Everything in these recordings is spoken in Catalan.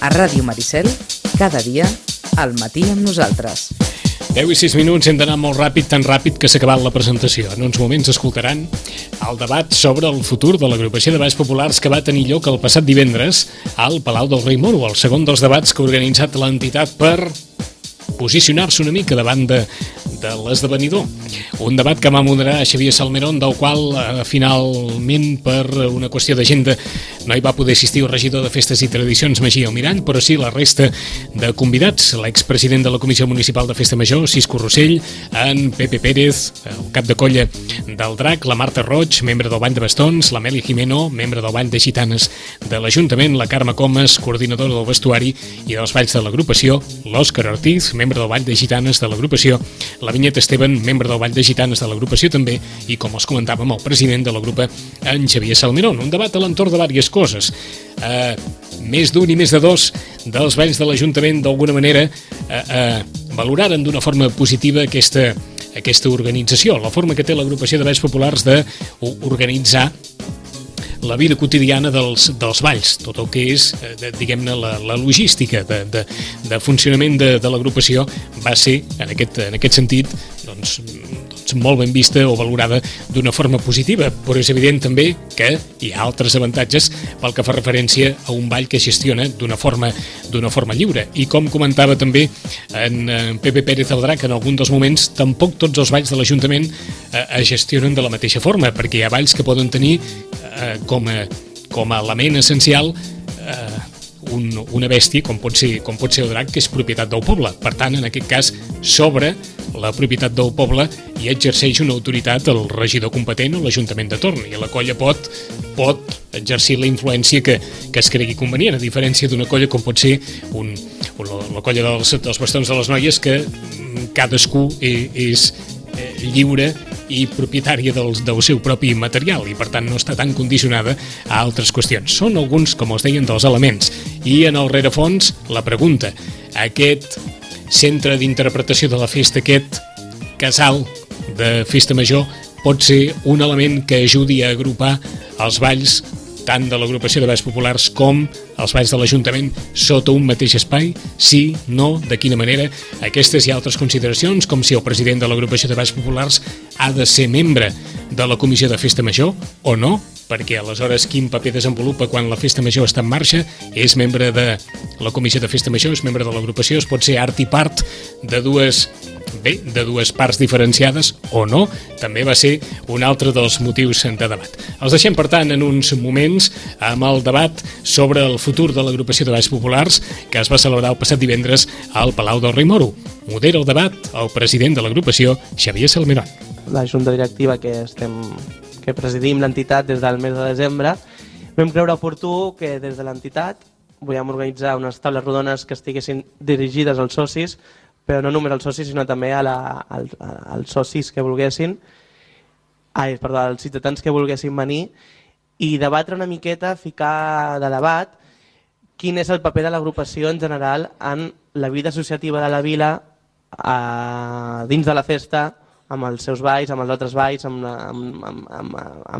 A Ràdio Maricel, cada dia, al matí amb nosaltres. 10 i 6 minuts, hem d'anar molt ràpid, tan ràpid que s'ha acabat la presentació. En uns moments escoltaran el debat sobre el futur de l'agrupació de balls populars que va tenir lloc el passat divendres al Palau del Rei Moro, el segon dels debats que ha organitzat l'entitat per posicionar-se una mica davant de l'esdevenidor. Un debat que va moderar Xavier Salmerón, del qual finalment per una qüestió d'agenda no hi va poder assistir el regidor de Festes i Tradicions Magí Almirall, però sí la resta de convidats, l'expresident de la Comissió Municipal de Festa Major, Cisco Rossell, en Pepe Pérez, el cap de colla del Drac, la Marta Roig, membre del Ball de Bastons, la Meli Jimeno, membre del Ball de Gitanes de l'Ajuntament, la Carme Comas, coordinadora del vestuari i dels balls de l'agrupació, l'Òscar Ortiz, membre del Ball de Gitanes de l'agrupació, la Vinyet Esteban, membre del Ball de Gitanes de l'agrupació també, i com els comentàvem, el president de la grupa, en Xavier Salmerón. Un debat a l'entorn de diverses coses. Més d'un i més de dos dels balls de l'Ajuntament, d'alguna manera, valoraren d'una forma positiva aquesta organització, la forma que té l'agrupació de balls populars d'organitzar la vida quotidiana dels balls, tot el que és, diguem-ne, la logística de funcionament de l'agrupació va ser, en aquest sentit, doncs molt ben vista o valorada d'una forma positiva, però és evident també que hi ha altres avantatges pel que fa referència a un ball que es gestiona d'una forma lliure. I com comentava també en Pepe Pérez del Drac, en algun dels moments tampoc tots els balls de l'Ajuntament es gestionen de la mateixa forma, perquè hi ha balls que poden tenir com a element essencial una bèstia com pot ser el drac, que és propietat del poble. Per tant, en aquest cas, sobre la propietat del poble i exerceix una autoritat el regidor competent o l'Ajuntament de torn, i la colla pot exercir la influència que es cregui convenient, a diferència d'una colla com pot ser la colla dels bastons de les noies, que cadascú és lliure i propietària del seu propi material i per tant no està tan condicionada a altres qüestions. Són alguns, com els deien, dels elements. I en el rerefons, la pregunta: aquest centre d'interpretació de la festa, aquest casal de festa major, pot ser un element que ajudi a agrupar els balls tant de l'agrupació de balls populars com els balls de l'Ajuntament sota un mateix espai? Sí, no, de quina manera? Aquestes i altres consideracions, com si el president de l'agrupació de balls populars ha de ser membre de la comissió de festa major o no, perquè aleshores quin paper desenvolupa quan la festa major està en marxa? És membre de la comissió de festa major, és membre de l'agrupació, es pot ser art i part de dues parts diferenciades o no? També va ser un altre dels motius de debat. Els deixem, per tant, en uns moments amb el debat sobre el futur de l'agrupació de balls populars que es va celebrar el passat divendres al Palau del Rei Moro. Modera el debat el president de l'agrupació, Xavier Salmerón. La junta directiva que presidim l'entitat des del mes de desembre, vam creure oportú que des de l'entitat volíem organitzar unes taules rodones que estiguessin dirigides als socis, però no només als socis, sinó també als socis que volguessin, als ciutadans que volguessin venir, i debatre una miqueta, ficar de debat quin és el paper de l'agrupació en general en la vida associativa de la vila dins de la festa, amb els seus balls, amb els altres balls, amb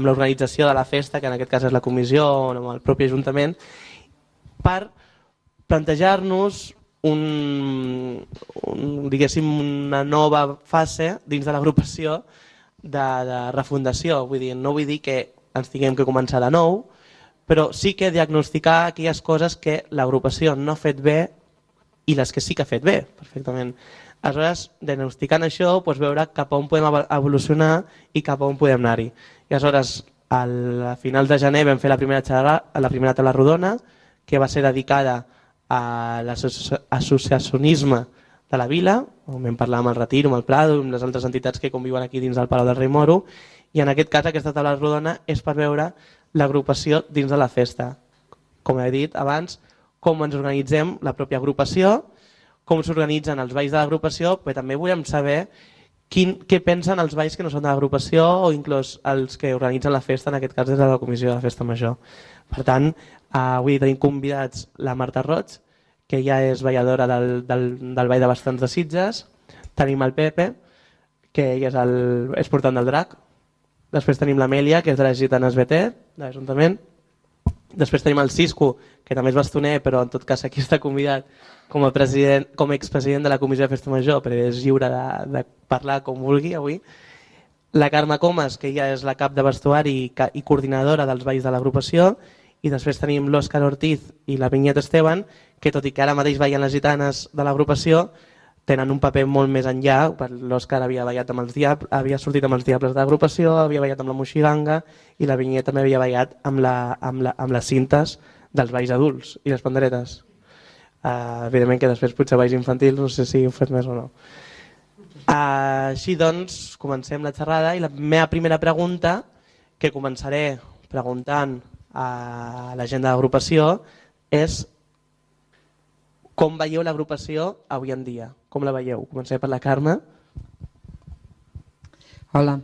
l'organització de la festa, que en aquest cas és la comissió o amb el propi Ajuntament, per plantejar-nos una nova fase dins de l'agrupació de refundació. No vull dir que ens tinguem que començar de nou, però sí que diagnosticar aquelles coses que l'agrupació no ha fet bé i les que sí que ha fet bé, perfectament. Aleshores, diagnosticant això, veure cap a on podem evolucionar i cap a on podem anar-hi. I aleshores, a finals de gener vam fer la primera taula rodona, que va ser dedicada a l'associacionisme de la vila, on vam parlar amb el Retiro, amb el Prado, amb les altres entitats que conviuen aquí dins del Palau del Rei Moro, i en aquest cas aquesta taula rodona és per veure l'agrupació dins de la festa. Com he dit abans, com ens organitzem la pròpia agrupació, com s'organitzen els balls de l'agrupació, però també volem saber què pensen els balls que no són de l'agrupació o inclús els que organitzen la festa, en aquest cas des de la comissió de festa major. Per tant, avui tenim convidats la Marta Roig, que ja és balladora del Ball de Bastons de Sitges. Tenim el Pepe, que ell és portant del Drac. Després tenim l'Amèlia, que és de les Gitanes BT, de l'Ajuntament. Després tenim el Cisco, que també és bastoner, però en tot cas aquí està convidat com a expresident de la Comissió de Festa Major, però és lliure de parlar com vulgui avui. La Carme Comas, que ja és la cap de vestuari i coordinadora dels balls de l'agrupació, i després tenim l'Òscar Ortiz i la Vinyet Esteban, que tot i que ara mateix ballen les gitanes de l'agrupació, tenen un paper molt més enllà. L'Òscar havia sortit amb els Diables de l'agrupació, havia ballat amb la Moixiganga, i la Vinyet també havia ballat amb les cintes dels balls adults i les panderetes. Evidentment que després potser balls infantils, no sé si ho fet més o no. Així doncs, comencem la xerrada i la meva primera pregunta, que començaré preguntant a la gent de l'agrupació, és com veieu l'agrupació avui en dia? Com la veieu? Comencem per la Carme. Hola.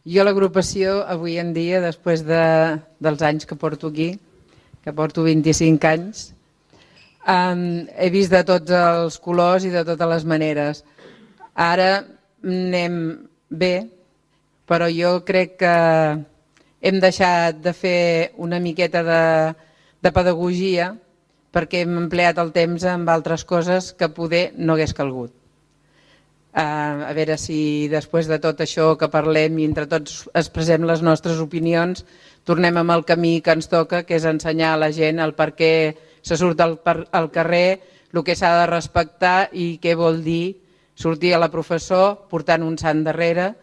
Jo l'agrupació avui en dia, després dels anys que porto aquí, que porto 25 anys, he vist de tots els colors i de totes les maneres. Ara anem bé, però jo crec que hem deixat de fer una miqueta de pedagogia perquè hem empleat el temps en altres coses que poder no hagués calgut. A veure si després de tot això que parlem i entre tots expressem les nostres opinions, tornem amb el camí que ens toca, que és ensenyar a la gent el per què se surt al carrer, el que s'ha de respectar i què vol dir sortir a la professó portant un sant darrere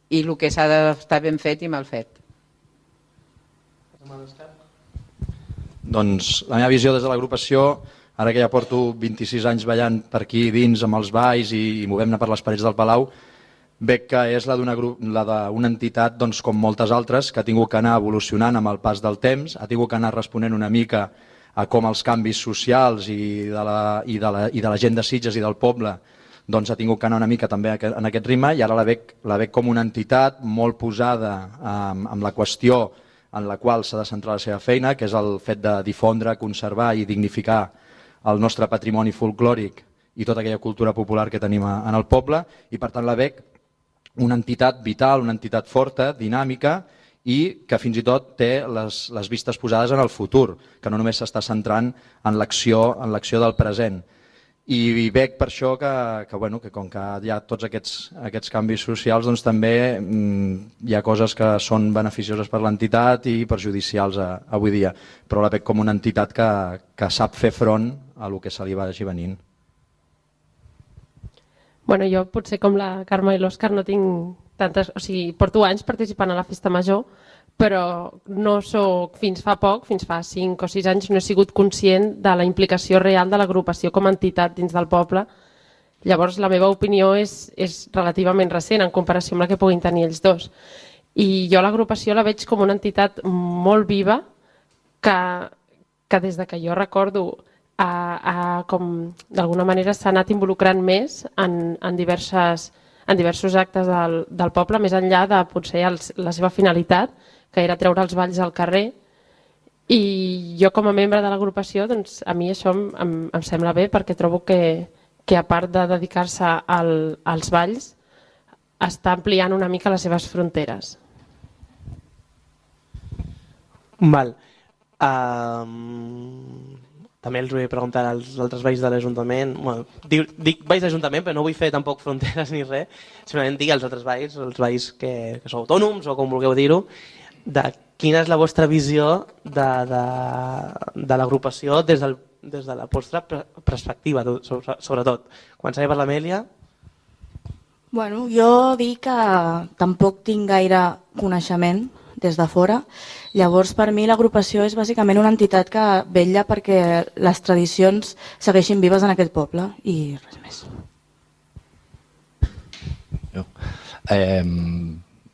i el que s'ha d'estar ben fet i mal fet. Doncs la meva visió des de l'agrupació, ara que ja porto 26 anys ballant per aquí dins amb els balls i movem-ne per les parets del Palau, veig que és la d'una entitat com moltes altres que ha tingut que anar evolucionant amb el pas del temps, ha tingut que anar responent una mica a com els canvis socials i de la gent de Sitges i del poble ha tingut que anar una mica també en aquest ritme, i ara la veig com una entitat molt posada amb la qüestió en la qual s'ha de centrar la seva feina, que és el fet de difondre, conservar i dignificar el nostre patrimoni folclòric i tota aquella cultura popular que tenim en el poble, i per tant la veig una entitat vital, una entitat forta, dinàmica, i que fins i tot té les vistes posades en el futur, que no només s'està centrant en l'acció del present. I veig per això que com que hi ha tots aquests canvis socials, doncs també hi ha coses que són beneficioses per l'entitat i perjudicials avui dia, però la veig com una entitat que sap fer front a el que se li vagi venint. Bueno, jo potser com la Carme i l'Òscar no tinc tantes... O sigui, porto anys participant a la festa major, però no soc, fins fa 5 o 6 anys, no he sigut conscient de la implicació real de l'agrupació com a entitat dins del poble. Llavors, la meva opinió és relativament recent en comparació amb la que puguin tenir ells dos. I jo l'agrupació la veig com una entitat molt viva que des de que jo recordo com d'alguna manera s'ha anat involucrant més en diversos actes del poble, més enllà de potser la seva finalitat, que era treure els balls al carrer. I jo com a membre de l'agrupació, doncs, a mi això em sembla bé, perquè trobo que a part de dedicar-se als balls, està ampliant una mica les seves fronteres. Val. També els vull preguntar als altres balls de l'Ajuntament. Bueno, dic balls d'Ajuntament, però no vull fer tampoc fronteres ni res. Simplement dic als altres balls, els balls que sou autònoms o com vulgueu dir-ho, de quina és la vostra visió de l'agrupació des de la vostra perspectiva, sobretot. Començaré per l'Amèlia. Bueno, jo dic que tampoc tinc gaire coneixement des de fora. Llavors, per mi, l'agrupació és bàsicament una entitat que vetlla perquè les tradicions segueixin vives en aquest poble i res més.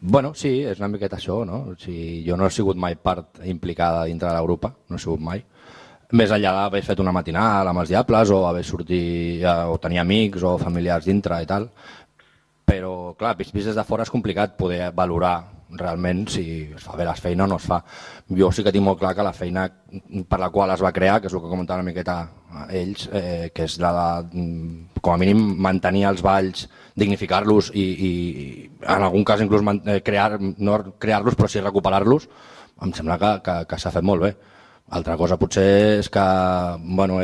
Bueno, sí, és una miqueta això, no? O sigui, jo no he sigut mai part implicada dintre de la grupa, no he sigut mai. Més enllà d'haver fet una matinal amb els Diables o haver sortit o tenir amics o familiars dintre i tal, però clar, vist des de fora és complicat poder valorar realment si es fa bé la feina o no es fa. Jo sí que tinc molt clar que la feina per la qual es va crear, que és el que comentaven una miqueta ells, que és la de, com a mínim, mantenir els balls, dignificar-los i en algun cas inclús no crear-los però sí recuperar-los, em sembla que s'ha fet molt bé. Altra cosa potser és que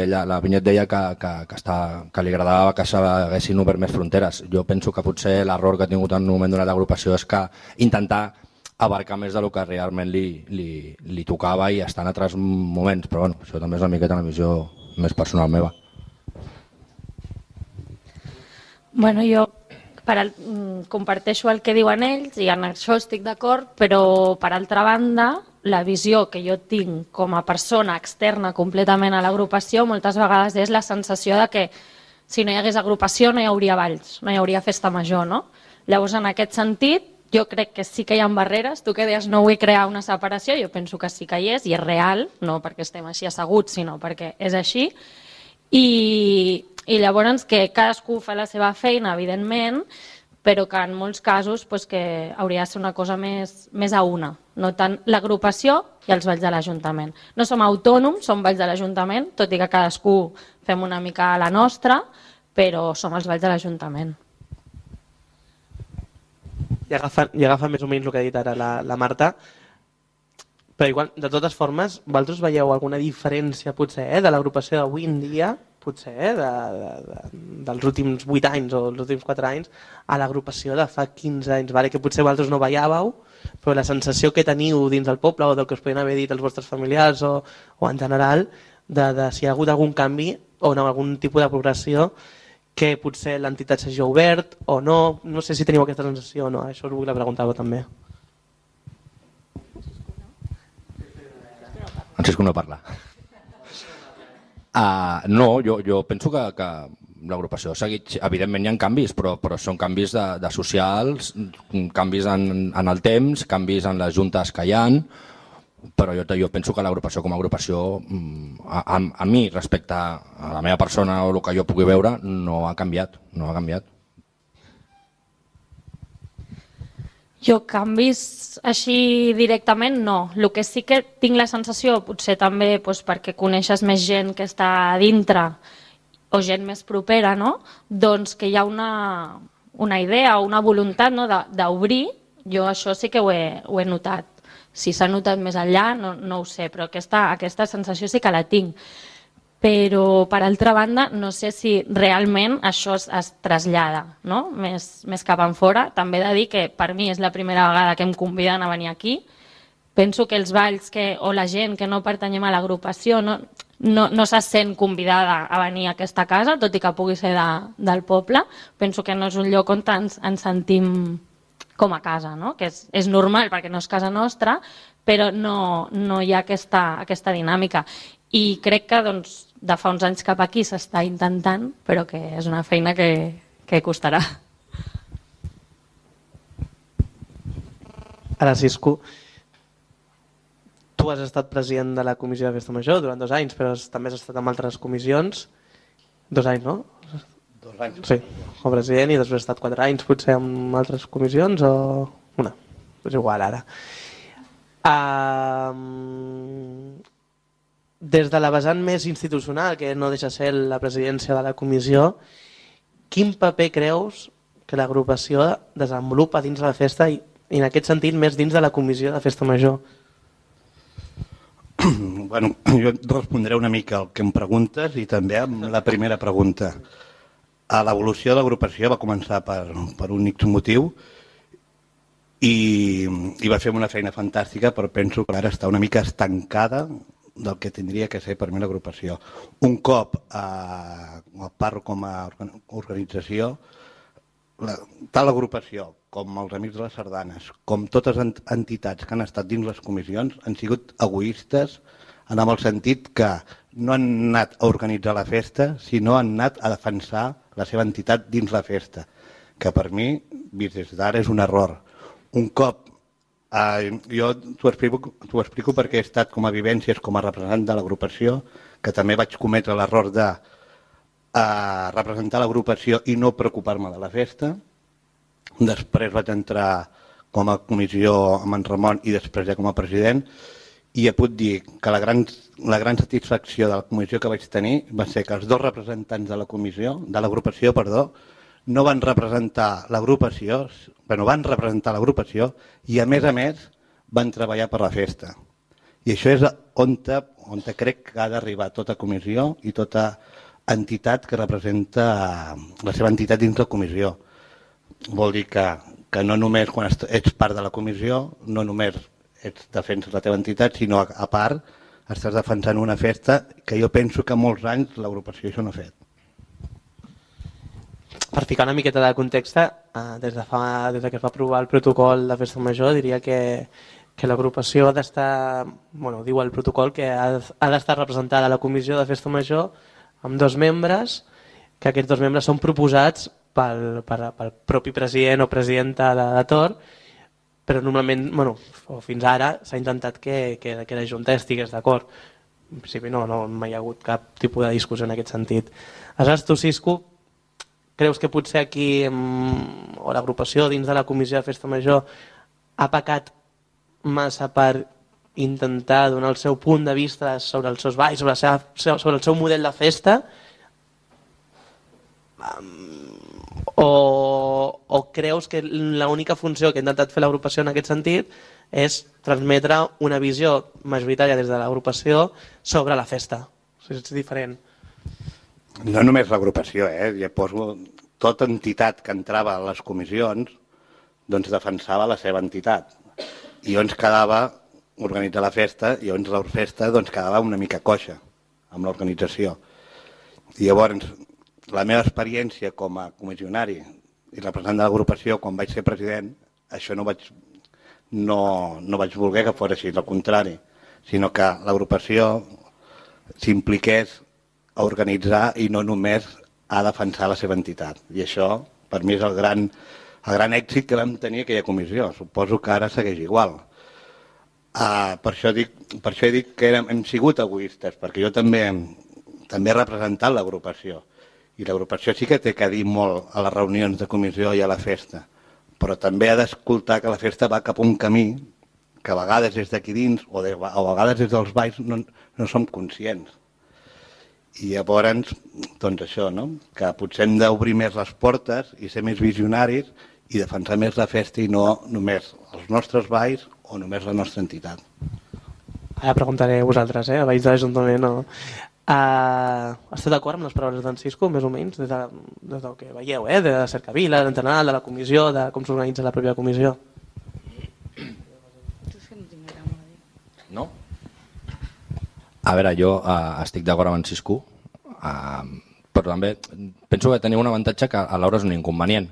ella, la Vinyet deia que li agradava que s'haguessin obert més fronteres. Jo penso que potser l'error que ha tingut en un moment donat l'agrupació és que intentar abarcar més del que realment li tocava i estar en altres moments, però això també és una miqueta una visió més personal meva. Jo comparteixo el que diuen ells i en això estic d'acord, però per altra banda la visió que jo tinc com a persona externa completament a l'agrupació moltes vegades és la sensació de que si no hi hagués agrupació no hi hauria balls, no hi hauria festa major, no? Llavors, en aquest sentit, jo crec que sí que hi ha barreres. Tu que deies no vull crear una separació, jo penso que sí que hi és i és real, no perquè estem així asseguts, sinó perquè és així. I llavors que cadascú fa la seva feina, evidentment, però que en molts casos que hauria de ser una cosa més a una, no tant l'agrupació i els balls de l'Ajuntament. No som autònoms, som balls de l'Ajuntament, tot i que cadascú fem una mica la nostra, però som els balls de l'Ajuntament. I agafa més o menys el que ha dit ara la Marta, però igual, de totes formes, vosaltres veieu alguna diferència potser de l'agrupació d'avui en dia, potser, dels últims 8 anys o els últims 4 anys a l'agrupació de fa 15 anys, que potser vosaltres no veiàveu, però la sensació que teniu dins del poble o del que us podien haver dit els vostres familiars o en general, de si hi ha hagut algun canvi o algun tipus de progressió que potser l'entitat s'hagi obert o no, no sé si teniu aquesta sensació o no, això us vull preguntar també. Francisco no parla. No, jo penso que l'agrupació ha seguit, evidentment hi ha canvis, però són canvis de socials, canvis en el temps, canvis en les juntes que hi ha, però jo penso que l'agrupació com a agrupació, a mi respecte a la meva persona o el que jo pugui veure, no ha canviat. Jo canvis així directament no. El que sí que tinc la sensació, potser també perquè coneixes més gent que està a dintre o gent més propera, doncs que hi ha una idea o una voluntat d'obrir. Jo això sí que ho he notat. Si s'ha notat més enllà no ho sé, però aquesta sensació sí que la tinc. Però, per altra banda, no sé si realment això es trasllada més cap enfora. També he de dir que per mi és la primera vegada que em conviden a venir aquí. Penso que els balls o la gent que no pertanyem a l'agrupació no se sent convidada a venir a aquesta casa, tot i que pugui ser del poble. Penso que no és un lloc on ens sentim com a casa, que és normal perquè no és casa nostra, però no hi ha aquesta dinàmica. I crec que de fa uns anys cap aquí s'està intentant, però que és una feina que costarà. Ara, Cisco, tu has estat president de la Comissió de Festa Major durant 2 anys, però també has estat en altres comissions. 2 anys, no? 2 anys. Sí, com a president, i després has estat 4 anys potser en altres comissions o una. És igual ara. Des de la vessant més institucional, que no deixa ser la presidència de la comissió, quin paper creus que l'agrupació desenvolupa dins de la festa i en aquest sentit més dins de la comissió de Festa Major? Bueno, jo respondré una mica al que em preguntes i també amb la primera pregunta. L'evolució de l'agrupació va començar per un X motiu i va fer una feina fantàstica, però penso que ara està una mica estancada del que tindria que ser per mi l'agrupació. Un cop parlo com a organització, tant l'agrupació com els Amics de les Sardanes, com totes les entitats que han estat dins les comissions, han sigut egoistes en el sentit que no han anat a organitzar la festa, sinó han anat a defensar la seva entitat dins la festa, que per mi, vist des d'ara, és un error. Un cop jo t'ho explico perquè he estat com a vivències, com a representant de l'agrupació, que també vaig cometre l'error de representar l'agrupació i no preocupar-me de la festa. Després vaig entrar com a comissió amb en Ramon i després ja com a president, i puc dir que la gran satisfacció de la comissió que vaig tenir va ser que els 2 representants de l'agrupació, no van representar l'agrupació, van representar l'agrupació i a més van treballar per la festa. I això és on crec que ha d'arribar tota comissió i tota entitat que representa la seva entitat dins la comissió. Vol dir que no només quan ets part de la comissió, no només defenses la teva entitat, sinó a part estàs defensant una festa que jo penso que molts anys l'agrupació això no ha fet. Per ficar una miqueta de context, des que es va aprovar el protocol de festa major, diria que l'agrupació ha d'estar, diu el protocol, que ha d'estar representada a la comissió de festa major amb 2 membres, que aquests 2 membres són proposats pel propi president o presidenta de torn, però normalment, fins ara s'ha intentat que la Junta estigués d'acord. En principi no hi ha hagut cap tipus de discussió en aquest sentit. Aleshores, tu, Cisco, creus que potser aquí, o l'agrupació dins de la comissió de festa major, ha pecat massa per intentar donar el seu punt de vista sobre els seus balls, sobre el seu model de festa, o creus que l'única funció que ha intentat fer l'agrupació en aquest sentit és transmetre una visió majoritària des de l'agrupació sobre la festa? És diferent. No només l'agrupació, ja poso tota entitat que entrava a les comissions doncs defensava la seva entitat. I llavors quedava organitzar la festa i llavors la festa doncs quedava una mica coixa amb l'organització. I llavors la meva experiència com a comissionari i representant de l'agrupació quan vaig ser president, això no vaig voler que fos així, al contrari, sinó que l'agrupació s'impliqués a organitzar i no només a defensar la seva entitat. I això, per mi, és el gran èxit que vam tenir aquella comissió. Suposo que ara segueix igual. Per això he dit que hem sigut egoistes, perquè jo també he representat l'agrupació. I l'agrupació sí que té que dir molt a les reunions de comissió i a la festa, però també ha d'escoltar que la festa va cap a un camí que a vegades des d'aquí dins o a vegades des dels balls no som conscients. I llavors, doncs això, que potser hem d'obrir més les portes i ser més visionaris i defensar més la festa i no només els nostres balls o només la nostra entitat. Ara preguntaré a vosaltres, a veïns de l'Ajuntament. Esteu d'acord amb les paraules d'en Cisco, més o menys, des del que veieu, de Cercavila, d'Entrenal, de la comissió, de com s'organitza la pròpia comissió? No? A veure, jo estic d'acord amb en Cisco, però també penso que teniu un avantatge que alhora és un inconvenient,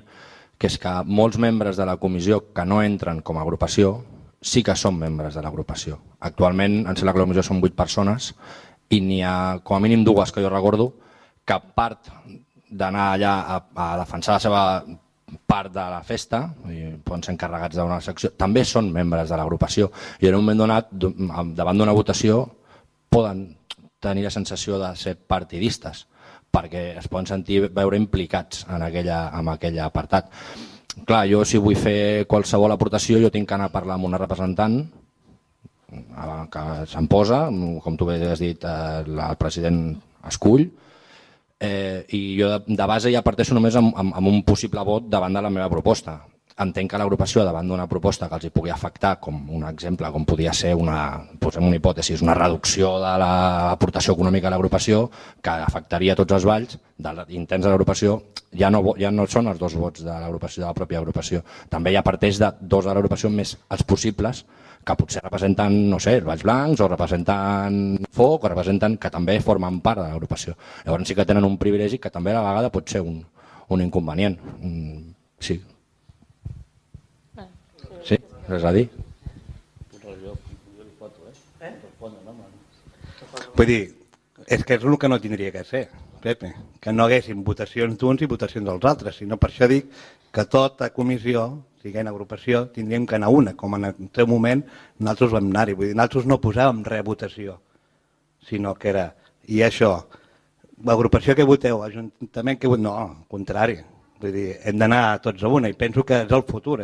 que és que molts membres de la comissió que no entren com a agrupació sí que són membres de l'agrupació. Actualment, em sembla que la comissió són 8 persones i n'hi ha com a mínim 2 que jo recordo que a part d'anar allà a defensar la seva part de la festa, i poden ser encarregats d'una secció, també són membres de l'agrupació i en un moment donat, davant d'una votació, poden tenir la sensació de ser partidistes perquè es poden sentir veure implicats en aquell apartat. Clar, jo si vull fer qualsevol aportació jo tinc que anar a parlar amb una representant que se'n posa, com tu bé has dit, el president escull, i jo de base ja parteixo només amb un possible vot davant de la meva proposta. Entenc que l'agrupació davant d'una proposta que els hi pugui afectar, com un exemple, com podria ser posem una hipòtesi, una reducció de l'aportació econòmica a l'agrupació que afectaria tots els balls de l'intens de l'agrupació, ja no són els 2 vots de l'agrupació, de la pròpia agrupació. També ja parteix de 2 de l'agrupació més els possibles que potser representen, no sé, els Valls Blancs o representen Foc o representen que també formen part de l'agrupació. Llavors sí que tenen un privilegi que també a la vegada pot ser un inconvenient. Sí. Sí, res a dir. Vull dir, és que és el que no tindria que ser, Pepe, que no haguessin votacions d'uns i votacions dels altres, sinó per això dic que tota comissió, siguent agrupació, tindríem que anar una, com en el seu moment nosaltres vam anar-hi. Vull dir, nosaltres no posàvem res a votació, sinó que era, i això, l'agrupació que voteu, ajuntament que voteu, no, al contrari. Vull dir, hem d'anar tots a una i penso que és el futur,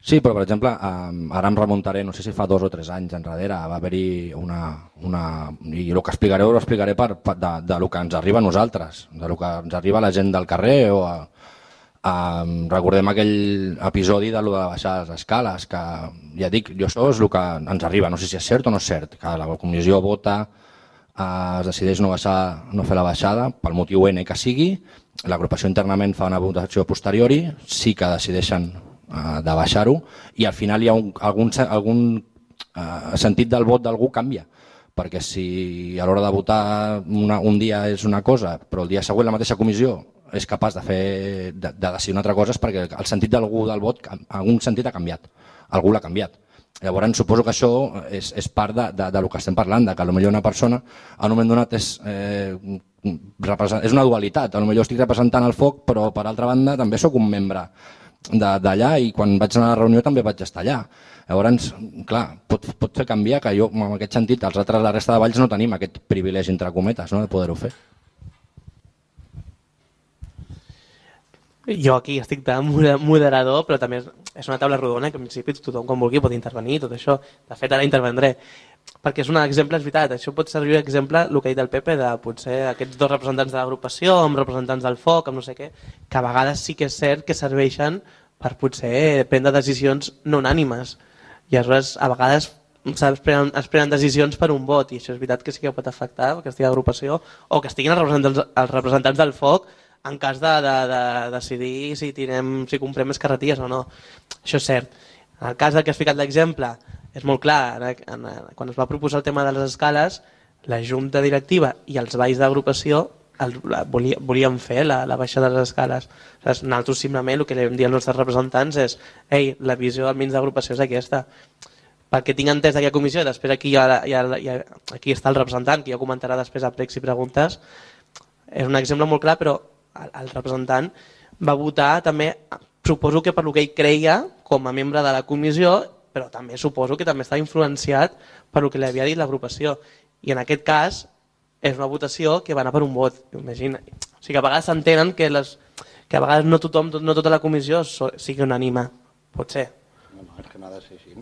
Sí, però per exemple, ara em remuntaré, no sé si fa 2 o 3 anys enrere, va haver-hi i el que explicaré ho explicaré de lo que ens arriba a nosaltres, de lo que ens arriba a la gent del carrer o Recordem aquell episodi de lo de baixar les escales, que ja dic, això és el que ens arriba, no sé si és cert o no és cert, que la comissió vota, es decideix no fer la baixada, pel motiu N que sigui, l'agrupació internament fa una votació posteriori, sí que decideixen de baixar-ho, i al final hi ha algun sentit del vot d'algú canvia, perquè si a l'hora de votar un dia és una cosa, però el dia següent la mateixa comissió és capaç de decidir una altra cosa, és perquè el sentit d'algú del vot, algun sentit ha canviat, algú l'ha canviat. Llavors suposo que això és part del que estem parlant, que potser una persona en un moment donat és una dualitat, potser estic representant el foc, però per altra banda també sóc un membre d'allà i quan vaig anar a la reunió també vaig estar allà. Llavors, clar, pot fer canviar que jo, en aquest sentit, la resta de valls no tenim aquest privilegi, entre cometes, de poder-ho fer. Jo aquí estic de moderador, però també és una taula rodona que en principi tothom quan vulgui pot intervenir, tot això. De fet, ara intervendré. Perquè és un exemple, és veritat, això pot servir d'exemple, el que ha dit el Pepe, de potser aquests dos representants de l'agrupació, amb representants del foc, amb no sé què, que a vegades sí que és cert que serveixen per potser prendre decisions no unànimes. I aleshores, a vegades es prenen decisions per un vot, i això és veritat que sí que pot afectar aquesta agrupació, o que estiguin els representants del foc en cas de decidir si comprem més carretilles o no. Això és cert. En el cas que has ficat l'exemple, és molt clar, quan es va proposar el tema de les escales, la junta directiva i els balls d'agrupació volíem fer la baixada de les escales. Nosaltres simplement el que li vam dir als nostres representants és la visió almenys d'agrupació és aquesta. Perquè tinc entès d'aquella comissió, i després aquí està el representant, que ja comentarà després a pregs i preguntes, és un exemple molt clar, però el representant va votar també, suposo que per el que ell creia com a membre de la comissió, però també suposo que també estava influenciat per el que li havia dit l'agrupació. I en aquest cas és una votació que va anar per un vot. Imagina. O sigui que a vegades s'entenen que a vegades no tota la comissió sigui unànime. Pot ser. No, és que no ha de ser així.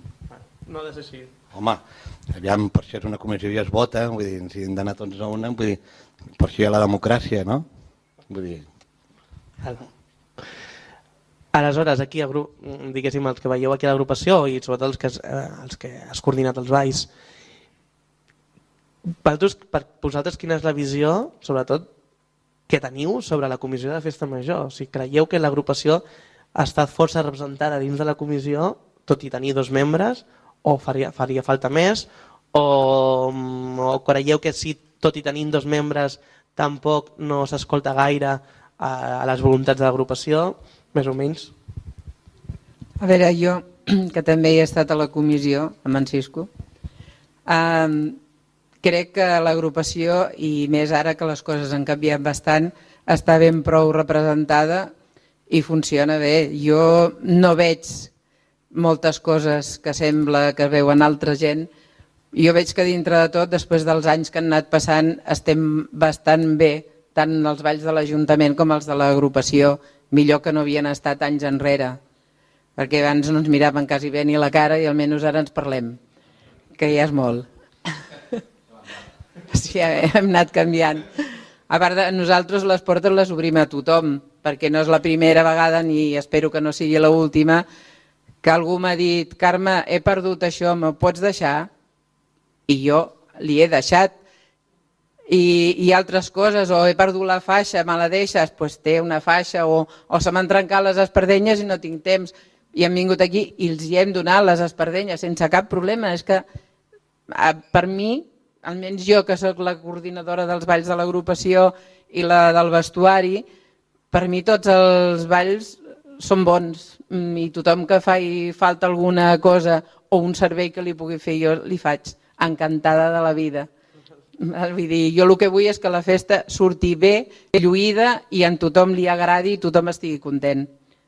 No ha de ser així. Home, aviam, per això és una comissió i es vota, vull dir, si hem d'anar tots a una, vull dir, per això hi ha la democràcia, no? Vull dir... Aleshores, aquí, diguéssim, els que veieu aquí a l'agrupació i sobretot els que has coordinat els balls, per vosaltres quina és la visió, sobretot, que teniu sobre la comissió de festa major? O sigui, creieu que l'agrupació ha estat força representada dins de la comissió, tot i tenir 2 membres, o faria falta més, o creieu que si tot i tenint 2 membres tampoc no s'escolta gaire a les voluntats de l'agrupació, més o menys? A veure, jo, que també he estat a la comissió, amb en Cisco, crec que l'agrupació, i més ara que les coses han canviat bastant, està ben prou representada i funciona bé. Jo no veig moltes coses que sembla que veuen altra gent. Jo veig que dintre de tot, després dels anys que han anat passant, estem bastant bé, tant els balls de l'Ajuntament com els de l'agrupació, millor que no havien estat anys enrere, perquè abans no ens miraven quasi bé ni la cara i almenys ara ens parlem, que ja és molt. Sí, hem anat canviant. A part de nosaltres les portes les obrim a tothom, perquè no és la primera vegada ni espero que no sigui l'última que algú m'ha dit: Carme, he perdut això, me pots deixar? I jo li he deixat. I altres coses, o he perdut la faixa, me la deixes? Doncs té una faixa, o se m'han trencat les espardenyes i no tinc temps. I hem vingut aquí i els hi hem donat les espardenyes sense cap problema. És que per mi, almenys jo que sóc la coordinadora dels balls de l'agrupació i la del vestuari, per mi tots els balls són bons i tothom que faci falta alguna cosa o un servei que li pugui fer jo li faig, encantada de la vida. Vull dir, jo el que vull és que la festa surti bé, lluïda i en tothom li agradi i tothom estigui content.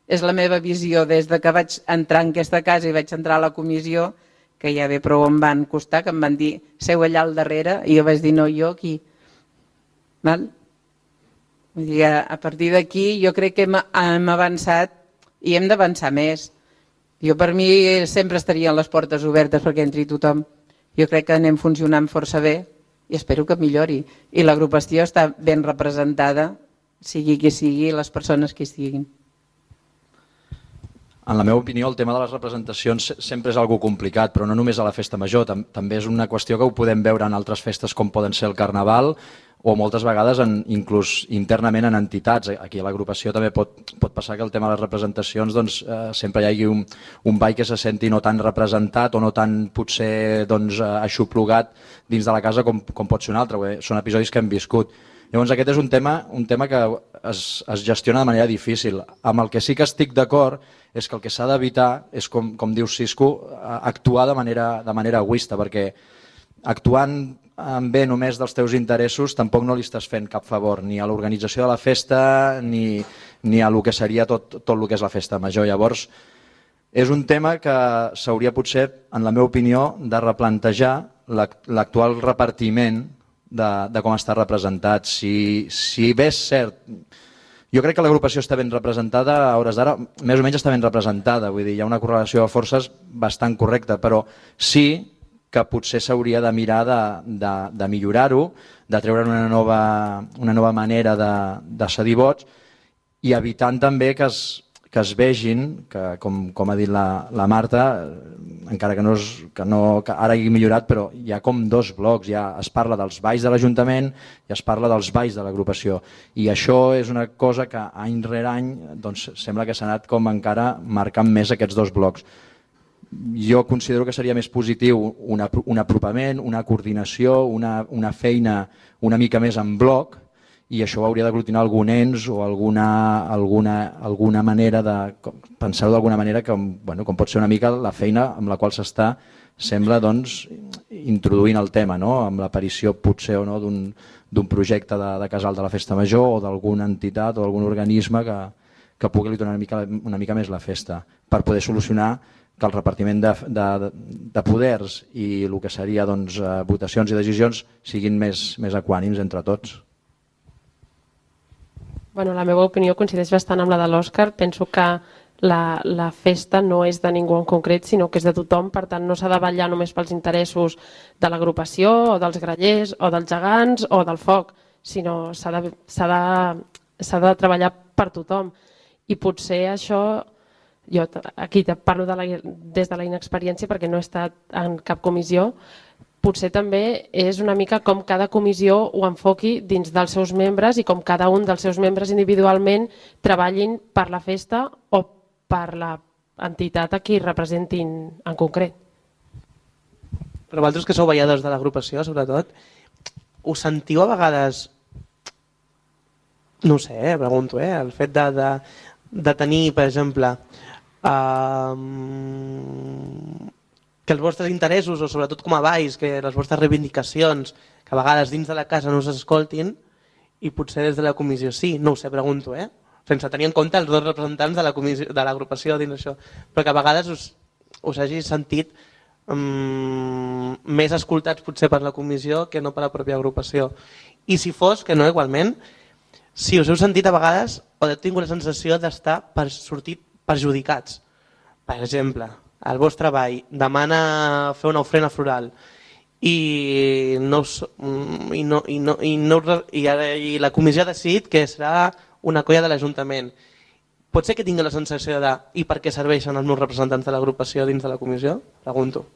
És la meva visió des de que vaig entrar en aquesta casa i vaig entrar a la comissió, que ja bé prou em van costar, que em van dir seu allà al darrere i jo vaig dir no, jo aquí. Val? Vull dir, a partir d'aquí jo crec que hem avançat i hem d'avançar més. Jo per mi sempre estarien les portes obertes perquè entri tothom. Jo crec que anem funcionant força bé i espero que millori. I l'agrupació està ben representada, sigui qui sigui, les persones que hi estiguin. En la meva opinió, el tema de les representacions sempre és algo complicat, però no només a la festa major, també és una qüestió que ho podem veure en altres festes com poden ser el Carnaval o moltes vegades inclús internament en entitats. Aquí a l'agrupació també pot passar que el tema de les representacions sempre hi hagi un ball que se senti no tan representat o no tan potser aixoplugat dins de la casa com pot ser un altre. Són episodis que hem viscut. Llavors aquest és un tema que es gestiona de manera difícil. Amb el que sí que estic d'acord és que el que s'ha d'evitar és, com diu Cisco, actuar de manera egoista, perquè actuant en bé només dels teus interessos tampoc no li estàs fent cap favor ni a l'organització de la festa ni a el que seria tot el que és la festa major. Llavors és un tema que s'hauria potser, en la meva opinió, de replantejar l'actual repartiment de com està representat. Si bé és cert, jo crec que l'agrupació està ben representada, a hores d'ara més o menys està ben representada, vull dir, hi ha una correlació de forces bastant correcta, però sí que potser s'hauria de mirar de millorar-ho, de treure una nova manera de cedir vots i evitant també que es vegin, que com ha dit la Marta, encara que ara hagi millorat, però hi ha com dos blocs, ja es parla dels balls de l'Ajuntament i es parla dels balls de l'agrupació. I això és una cosa que any rere any sembla que s'ha anat com encara marcant més aquests dos blocs. Jo considero que seria més positiu un apropament, una coordinació, una feina una mica més en bloc, i això hauria d'aglutinar algun ens o alguna manera de pensar-ho d'alguna manera com pot ser una mica la feina amb la qual s'està, sembla, introduint el tema, amb l'aparició potser o no d'un projecte de casal de la festa major o d'alguna entitat o d'algun organisme que pugui li donar una mica més la festa per poder solucionar que el repartiment de poders i el que seria votacions i decisions siguin més equànims entre tots. Bueno, la meva opinió coincideix bastant amb la de l'Òscar. Penso que la festa no és de ningú en concret, sinó que és de tothom, per tant no s'ha de vetllar només pels interessos de l'agrupació o dels grallers o dels gegants o del foc, sinó s'ha de treballar per tothom. I potser això, jo aquí parlo des de la inexperiència perquè no he estat en cap comissió, potser també és una mica com cada comissió ho enfoqui dins dels seus membres i com cada un dels seus membres individualment treballin per la festa o per l'entitat a qui representin en concret. Però vosaltres que sou balladors de l'agrupació, sobretot, us sentiu a vegades, no sé, pregunto, el fet de tenir, per exemple, que els vostres interessos, o sobretot com a balls, que les vostres reivindicacions, que a vegades dins de la casa no s'escoltin i potser des de la comissió sí, no ho sé, pregunto, sense tenir en compte els dos representants de l'agrupació dins això, però que a vegades us hagi sentit més escoltats potser per la comissió que no per la pròpia agrupació. I si fos, que no igualment, si us heu sentit a vegades o heu tingut la sensació d'estar per sortir perjudicats. Per exemple, el vostre ball demana fer una ofrena floral i la comissió ha decidit que serà una colla de l'Ajuntament. Pot ser que tingui la sensació de i per què serveixen els meus representants de l'agrupació dins de la comissió? Pregunto.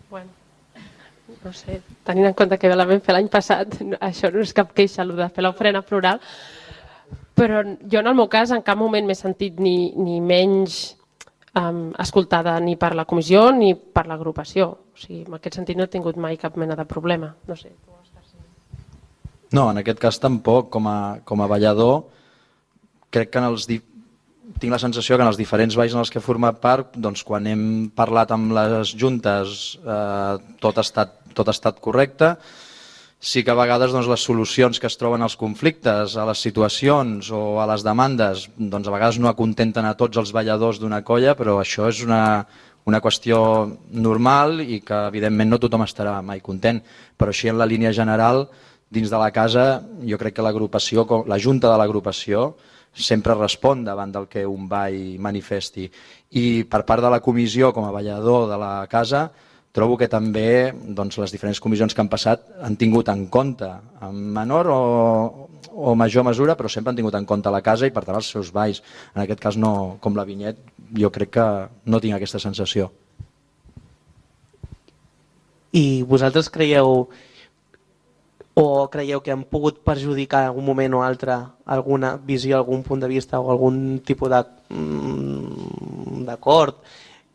Bueno, no sé, tenint en compte que la vam fer l'any passat, això no és cap queixa, el de fer l'ofrena floral, però jo en el meu cas en cap moment m'he sentit ni menys escoltada ni per la comissió ni per l'agrupació. O sigui, en aquest sentit no he tingut mai cap mena de problema. No sé, tu, Òscar, sí. No, en aquest cas tampoc. Com a ballador, crec que tinc la sensació que en els diferents balls en els que he format part, quan hem parlat amb les juntes tot ha estat correcte. Sí que a vegades les solucions que es troben als conflictes, a les situacions o a les demandes, a vegades no acontenten a tots els balladors d'una colla, però això és una qüestió normal i que evidentment no tothom estarà mai content. Però així en la línia general, dins de la casa, jo crec que l'agrupació, la junta de l'agrupació, sempre respon davant del que un ball manifesti. I per part de la comissió, com a ballador de la casa, trobo que també les diferents comissions que han passat han tingut en compte, en menor o major mesura, però sempre han tingut en compte la casa i per tant els seus balls. En aquest cas, no, com la Vinyet, jo crec que no tinc aquesta sensació. I vosaltres creieu que han pogut perjudicar en algun moment o altre alguna visió, algun punt de vista o algun tipus d'acord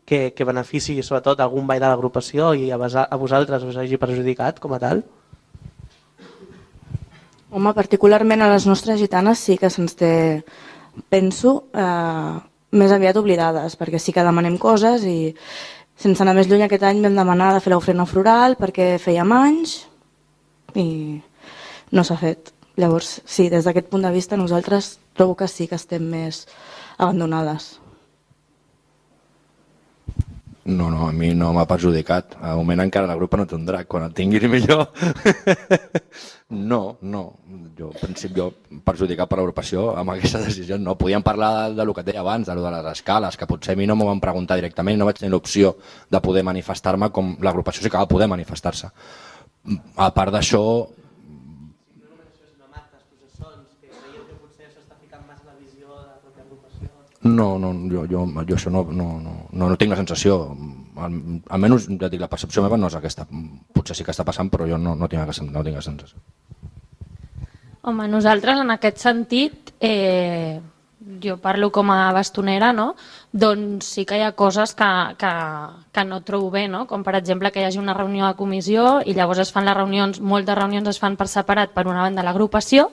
que benefici sobretot algun ball de l'agrupació i a vosaltres us hagi perjudicat com a tal? Home, particularment a les nostres gitanes sí que se'ns té, penso, més aviat oblidades, perquè sí que demanem coses i sense anar més lluny aquest any vam demanar de fer l'ofrena floral perquè fèiem anys i no s'ha fet. Llavors, sí, des d'aquest punt de vista nosaltres trobo que sí que estem més abandonades. No, a mi no m'ha perjudicat. Al moment encara la grupa no té un drac. Quan el tinguis millor... No. Jo, en principi, perjudicat per l'agrupació amb aquesta decisió no. Podíem parlar del que deia abans, de les escales, que potser a mi no m'ho van preguntar directament, no vaig tenir l'opció de poder manifestar-me com l'agrupació sí que va poder manifestar-se. A part d'això... No, jo això no tinc la sensació, almenys ja dic, la percepció meva no és aquesta, potser sí que està passant però jo no tinc la sensació. Home, nosaltres en aquest sentit, jo parlo com a bastonera, no? Doncs sí que hi ha coses que no trobo bé, no? Com per exemple que hi hagi una reunió de comissió i llavors es fan les reunions, moltes reunions es fan per separat, per una banda l'agrupació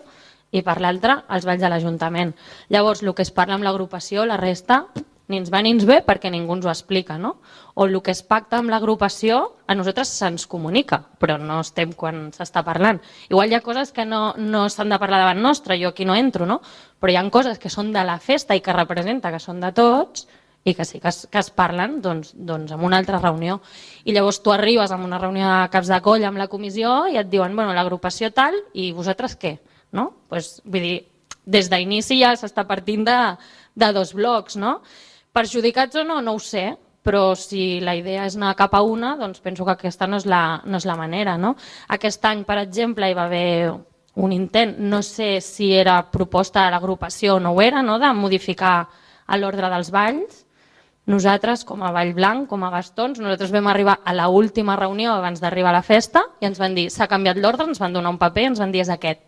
i per l'altra els balls de l'Ajuntament. Llavors, el que es parla amb l'agrupació, la resta, ni ens va ni ens ve perquè ningú ens ho explica, no? O el que es pacta amb l'agrupació, a nosaltres se'ns comunica, però no estem quan s'està parlant. Igual hi ha coses que no s'han de parlar davant nostre, jo aquí no entro, no? Però hi ha coses que són de la festa i que representa que són de tots i que sí que es parlen doncs en una altra reunió. I llavors tu arribes a una reunió de caps de colla amb la comissió i et diuen, bueno, l'agrupació tal i vosaltres què? No? Pues, vull dir, des d'inici ja s'està partint de dos blocs, no? Perjudicats o no ho sé, però si la idea és anar cap a una, doncs penso que aquesta no és la manera, no? Aquest any, per exemple, hi va haver un intent, no sé si era proposta de l'agrupació o no ho era, no? De modificar l'ordre dels balls. Nosaltres, com a Vall Blanc, com a bastons, nosaltres vam arribar a l'última reunió abans d'arribar a la festa i ens van dir, s'ha canviat l'ordre, ens van donar un paper i ens van dir, és aquest.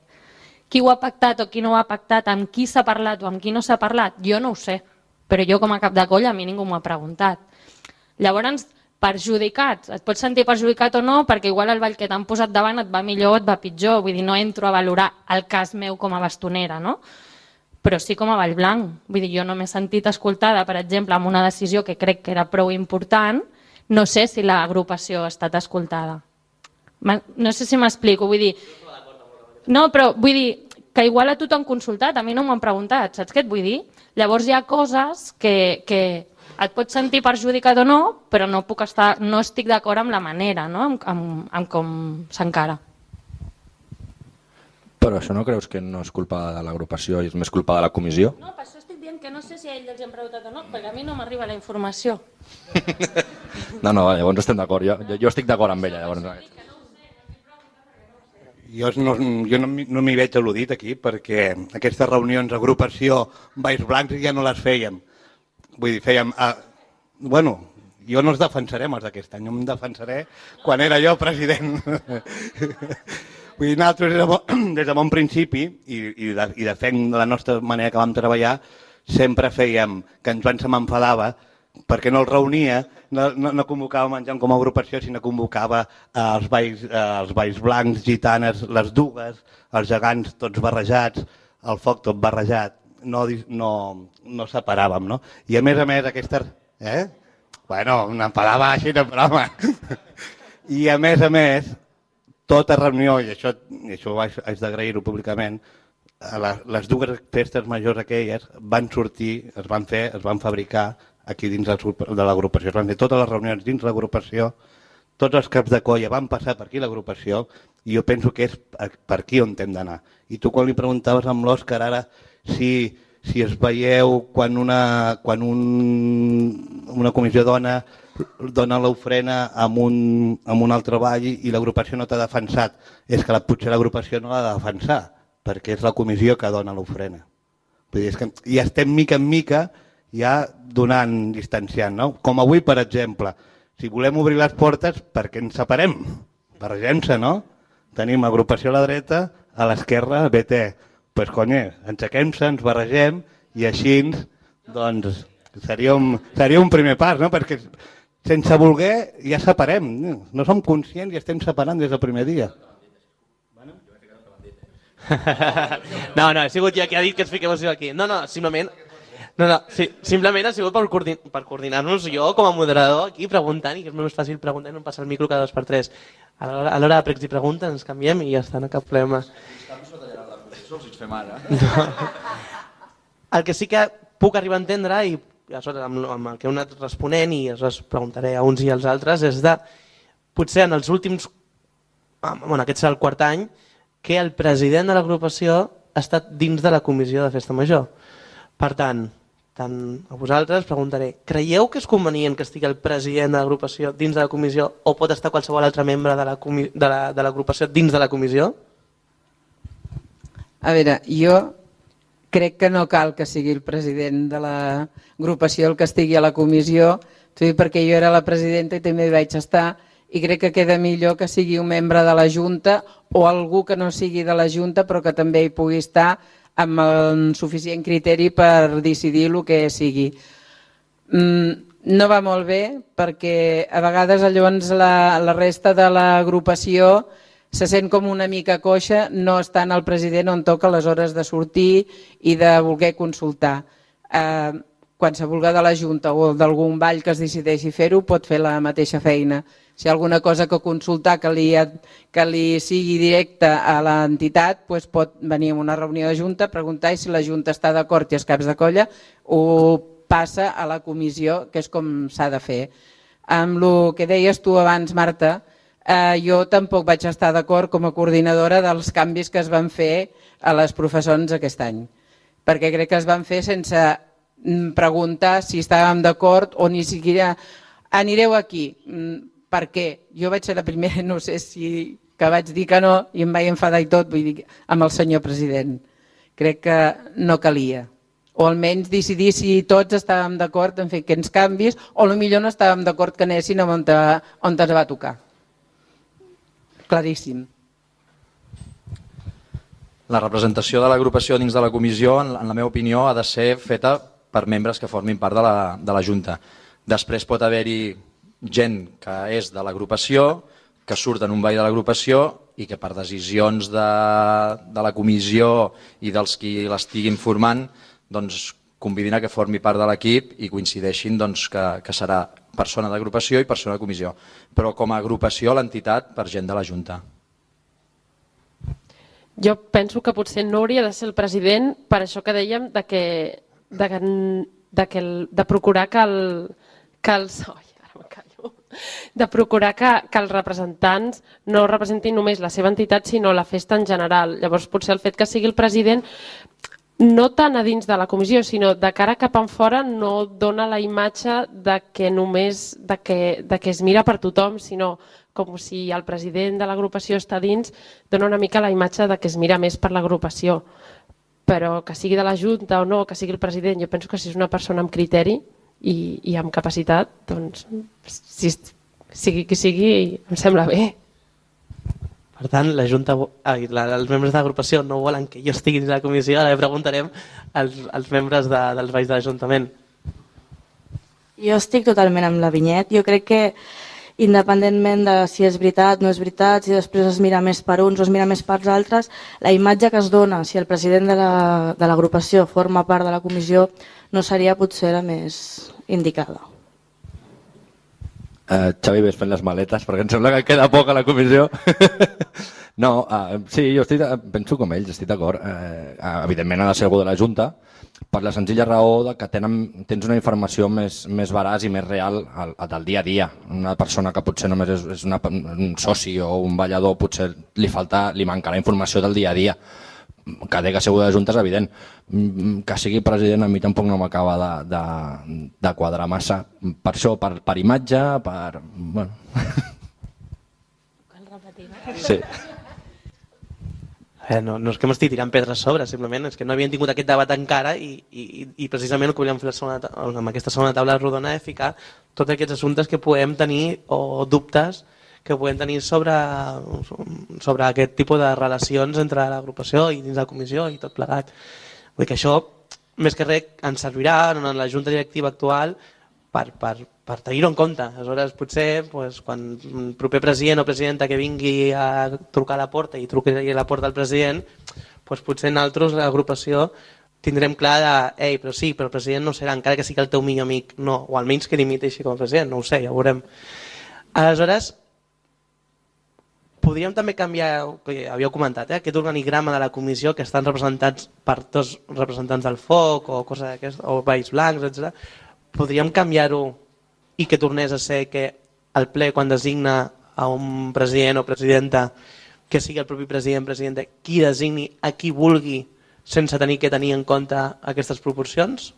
Qui ho ha pactat o qui no ho ha pactat, amb qui s'ha parlat o amb qui no s'ha parlat, jo no ho sé, però jo com a cap de colla a mi ningú m'ho ha preguntat. Llavors, perjudicats, et pots sentir perjudicat o no perquè igual el ball que t'han posat davant et va millor o et va pitjor, vull dir, no entro a valorar el cas meu com a bastonera, no? Però sí com a Vall Blanc, vull dir, jo no m'he sentit escoltada, per exemple, amb una decisió que crec que era prou important, no sé si l'agrupació ha estat escoltada. No sé si m'explico, vull dir... No, però vull dir que igual a tu t'han consultat, a mi no m'han preguntat, saps què et vull dir? Llavors hi ha coses que et pots sentir perjudicat o no, però no estic d'acord amb la manera, no? amb com s'encara. Però això no creus que no és culpa de l'agrupació i és més culpa de la comissió? No, per això estic dient que no sé si a ells els han preguntat o no, perquè a mi no m'arriba la informació. No, llavors estem d'acord, jo estic d'acord amb ella, llavors. Jo no m'hi veig al·ludit aquí perquè aquestes reunions d'agrupació Valls Blancs ja no les fèiem. Vull dir, fèiem... Bueno, jo no els defensaré els d'aquest any, jo em defensaré quan era jo president. Vull dir, nosaltres des de bon principi i de fer la nostra manera que vam treballar sempre fèiem que ens m'enfadava perquè no el reunia, no convocava menjant com a agrupació, sinó convocava els balls blancs, gitanes, les dugues, els gegants tots barrejats, el foc tot barrejat, no separàvem, no? I a més aquestes... Bueno, m'enfadava així, no, però home... I a més, tota reunió, i això haig d'agrair-ho públicament, les dues festes majors aquelles van sortir, es van fabricar aquí dins de l'agrupació. Es van fer totes les reunions dins l'agrupació, tots els caps de colla van passar per aquí l'agrupació i jo penso que és per aquí on hem d'anar. I tu quan li preguntaves amb l'Òscar ara si si es veieu quan una comissió dona l'ofrena amb un altre ball i l'agrupació no t'ha defensat, és que potser l'agrupació no l'ha de defensar, perquè és la comissió que dona l'ofrena. Vull dir, és que ja estem mica en mica ja donant, distanciant, no? Com avui, per exemple, si volem obrir les portes, per què ens separem? Barregem-se, no? Tenim agrupació a la dreta, a l'esquerra, BT. Doncs, cony, enxequem-se, ens barregem i així, doncs, seria un primer pas, no? Perquè sense voler ja separem. No som conscients i estem separant des del primer dia. No, he sigut jo qui ha dit que ens fiqueu aquí. Simplement ha sigut per coordinar-nos jo com a moderador aquí preguntant, i que és més fàcil preguntar i no passar el micro cada 2x3. A l'hora de pregs i preguntes ens canviem i ja està, no cap problema. El que sí que puc arribar a entendre, i amb el que heu anat responent i us preguntaré a uns i als altres, és de potser en els últims, aquest serà el quart any, que el president de l'agrupació ha estat dins de la comissió de Festa Major. Per tant a vosaltres preguntaré, creieu que és convenient que estigui el president de l'agrupació dins de la comissió o pot estar qualsevol altre membre de l'agrupació dins de la comissió? A veure, jo crec que no cal que sigui el president de l'agrupació el que estigui a la comissió, perquè jo era la presidenta i també hi vaig estar, i crec que queda millor que sigui un membre de la Junta o algú que no sigui de la Junta però que també hi pugui estar amb el suficient criteri per decidir el que sigui. No va molt bé perquè a vegades llavors la resta de l'agrupació se sent com una mica coixa no estant el president on toca les hores de sortir i de voler consultar. Qualsevol de la Junta o d'algun ball que es decideixi fer-ho pot fer la mateixa feina. Si hi ha alguna cosa que consultar que li sigui directa a l'entitat, pot venir a una reunió de Junta, preguntar i si la Junta està d'acord i els caps de colla ho passa a la comissió, que és com s'ha de fer. Amb el que deies tu abans, Marta, jo tampoc vaig estar d'acord com a coordinadora dels canvis que es van fer a les professors aquest any, perquè crec que es van fer sense preguntar si estàvem d'acord o ni siquiera anireu aquí. Per què? Jo vaig ser la primera, no sé si que vaig dir que no i em vaig enfadar i tot, vull dir, amb el senyor president. Crec que no calia. O almenys decidir si tots estàvem d'acord en fer aquests canvis o potser no estàvem d'acord que anessin on ens va tocar. Claríssim. La representació de l'agrupació dins de la comissió, en la meva opinió, ha de ser feta per membres que formin part de la Junta. Després pot haver-hi gent que és de l'agrupació, que surt en un ball de l'agrupació i que per decisions de la comissió i dels qui l'estiguin formant convidin a que formi part de l'equip i coincideixin que serà persona d'agrupació i persona de comissió. Però com a agrupació l'entitat per gent de la Junta. Jo penso que potser no hauria de ser el president per això que dèiem de procurar que els representants no representin només la seva entitat sinó la festa en general. Llavors potser el fet que sigui el president no tant a dins de la comissió sinó de cara cap enfora no dona la imatge que només que es mira per tothom, sinó com si el president de l'agrupació està dins, dona una mica la imatge que es mira més per l'agrupació. Però que sigui de la Junta o no, que sigui el president, jo penso que si és una persona amb criteri i amb capacitat, doncs sigui qui sigui, em sembla bé. Per tant, la Junta, els membres de l'agrupació no volen que jo estigui dins de la comissió, ara preguntarem als membres dels balls de l'Ajuntament. Jo estic totalment amb la Vinyet. Jo crec que independentment de si és veritat, no és veritat, si després es mira més per uns o es mira més per altres, la imatge que es dona si el president de l'agrupació forma part de la comissió no seria potser la més indicada. Xavi, ves fent les maletes perquè em sembla que queda poc a la comissió. No, sí, jo penso com ells, estic d'acord. Evidentment ha de ser algú de la Junta per la senzilla raó que tens una informació més veraç i més real del dia a dia. Una persona que potser només és un soci o un ballador potser li mancarà informació del dia a dia. que té que ser de Junta és evident. Que sigui president a mi tampoc no m'acaba de quadrar massa. Per això, per imatge, per... Bueno. Cal repetir. Sí. No és que m'estigui tirant pedres sobre, simplement és que no havien tingut aquest debat encara i precisament el que volíem fer amb aquesta segona taula rodona és ficar tots aquests assumptes que podem tenir o dubtes que podem tenir sobre aquest tipus de relacions entre l'agrupació i dins la comissió i tot plegat. Vull dir que això, més que res, ens servirà en la junta directiva actual per tenir-ho en compte. Aleshores, potser, quan el proper president o presidenta que vingui a trucar a la porta i truqui a la porta al president, potser nosaltres, l'agrupació, tindrem clar de però sí, però el president no serà, encara que sigui el teu millor amic, no, o almenys que limiti així com a president, no ho sé, ja ho veurem. Aleshores, podríem també canviar, que havíeu comentat, aquest organigrama de la comissió que estan representats per dos representants del foc o coses d'aquestes, o Valls Blancs, etc. Podríem canviar-ho i que tornés a ser que el ple, quan designa a un president o presidenta, que sigui el propi presidenta, qui designi a qui vulgui sense tenir que tenir en compte aquestes proporcions?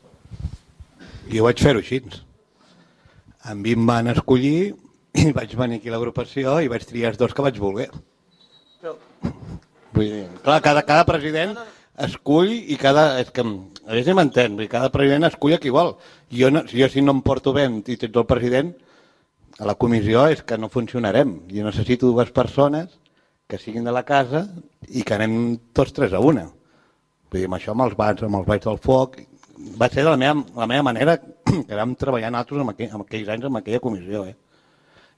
Jo vaig fer-ho així. A mi em van escollir i vaig venir aquí a l'agrupació i vaig triar els dos que vaig voler. Vull dir, clar, cada president escull i cada... És que, a veure si m'entén, cada president escull a qui vol. Jo si no em porto bé i tens el president, a la comissió és que no funcionarem. Jo necessito dues persones que siguin de la casa i que anem tots tres a una. Vull dir, amb això, amb els Valls del Foc, va ser de la meva manera que vam treballar nosaltres en aquells anys en aquella comissió.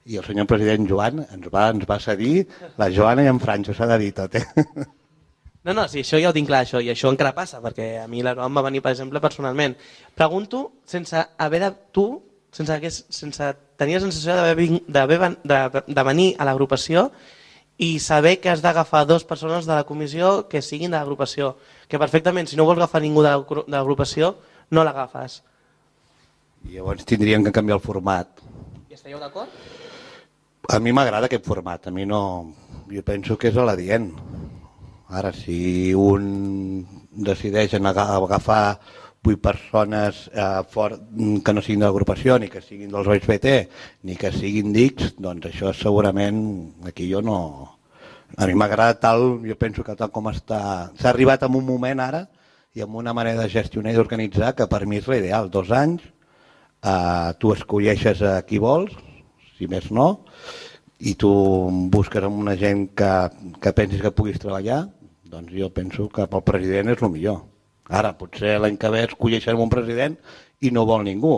I el senyor president Joan ens va cedir la Joana i en Franjo, s'ha de dir tot. No, sí, això ja ho tinc clar, i això encara passa, perquè a mi l'Aroa em va venir, per exemple, personalment. Pregunto, sense tenir la sensació de venir a l'agrupació i saber que has d'agafar dues persones de la comissió que siguin de l'agrupació, que perfectament, si no vols agafar ningú de l'agrupació, no l'agafes. Llavors tindríem que canviar el format. I estàieu d'acord? A mi m'agrada aquest format, a mi no... Jo penso que és a l'adient. Ara, si un decideix agafar 8 persones que no siguin de l'agrupació, ni que siguin dels OSBT, ni que siguin d'X, doncs això segurament aquí jo no... A mi m'agrada tal, jo penso que tal com està... S'ha arribat en un moment ara i amb una manera de gestionar i d'organitzar que per mi és l'ideal. 2 anys, tu escolleixes a qui vols, si més no, i tu busques amb una gent que pensis que puguis treballar, doncs jo penso que pel president és el millor. Ara, potser l'any que ve escolleixen un president i no vol ningú.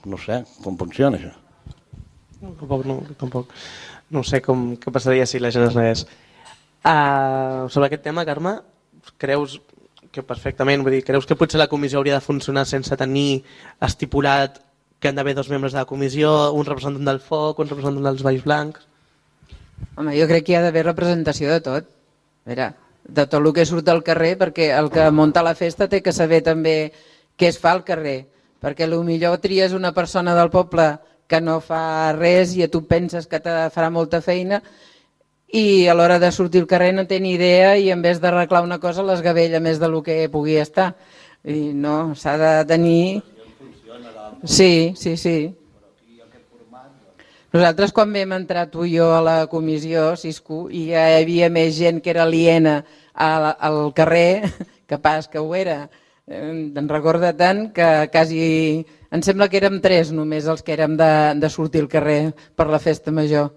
No sé com funciona això. Tampoc. No sé què passaria si la gent es negués. Sobre aquest tema, Carme, creus que perfectament, vull dir, creus que potser la comissió hauria de funcionar sense tenir estipulat que han d'haver 2 membres de la comissió, un representant del foc, un representant dels Valls Blancs? Home, jo crec que hi ha d'haver representació de tot. A veure, de tot el que surt al carrer, perquè el que munta la festa té que saber també què es fa al carrer, perquè potser tries una persona del poble que no fa res i tu penses que te farà molta feina i a l'hora de sortir al carrer no té ni idea i en vez d'arreglar una cosa l'esgavella més del que pugui estar. I no, s'ha de tenir... Sí. Nosaltres quan vam entrar tu i jo a la comissió, Cisco, i ja hi havia més gent que era aliena al carrer, que pas que ho era. Em recorda tant que quasi... Em sembla que érem 3 només els que érem de sortir al carrer per la festa major.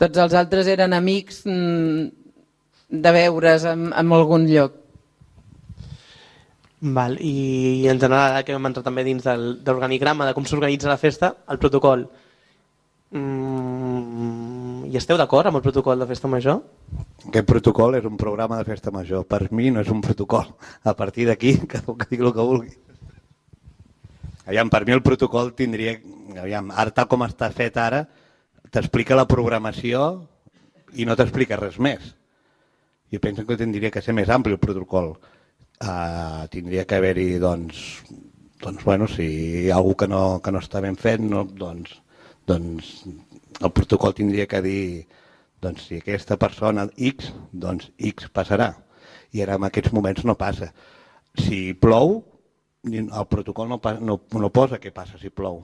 Tots els altres eren amics de veure's en algun lloc. Val, i en general, que vam entrar també dins de l'organigrama de com s'organitza la festa, el protocol. I esteu d'acord amb el protocol de festa major? Aquest protocol és un programa de festa major. Per mi no és un protocol. A partir d'aquí, cadascú que digui el que vulgui. Aviam, per mi el protocol tindria... Aviam, ara tal com està fet ara, t'explica la programació i no t'explica res més. Jo penso que tindria que ser més ampli el protocol. Tindria que haver-hi, doncs, si hi ha algú que no està ben fet, doncs el protocol tindria que dir, doncs si aquesta persona X, doncs X passarà. i ara en aquests moments no passa. Si plou, el protocol no posa què passa si plou.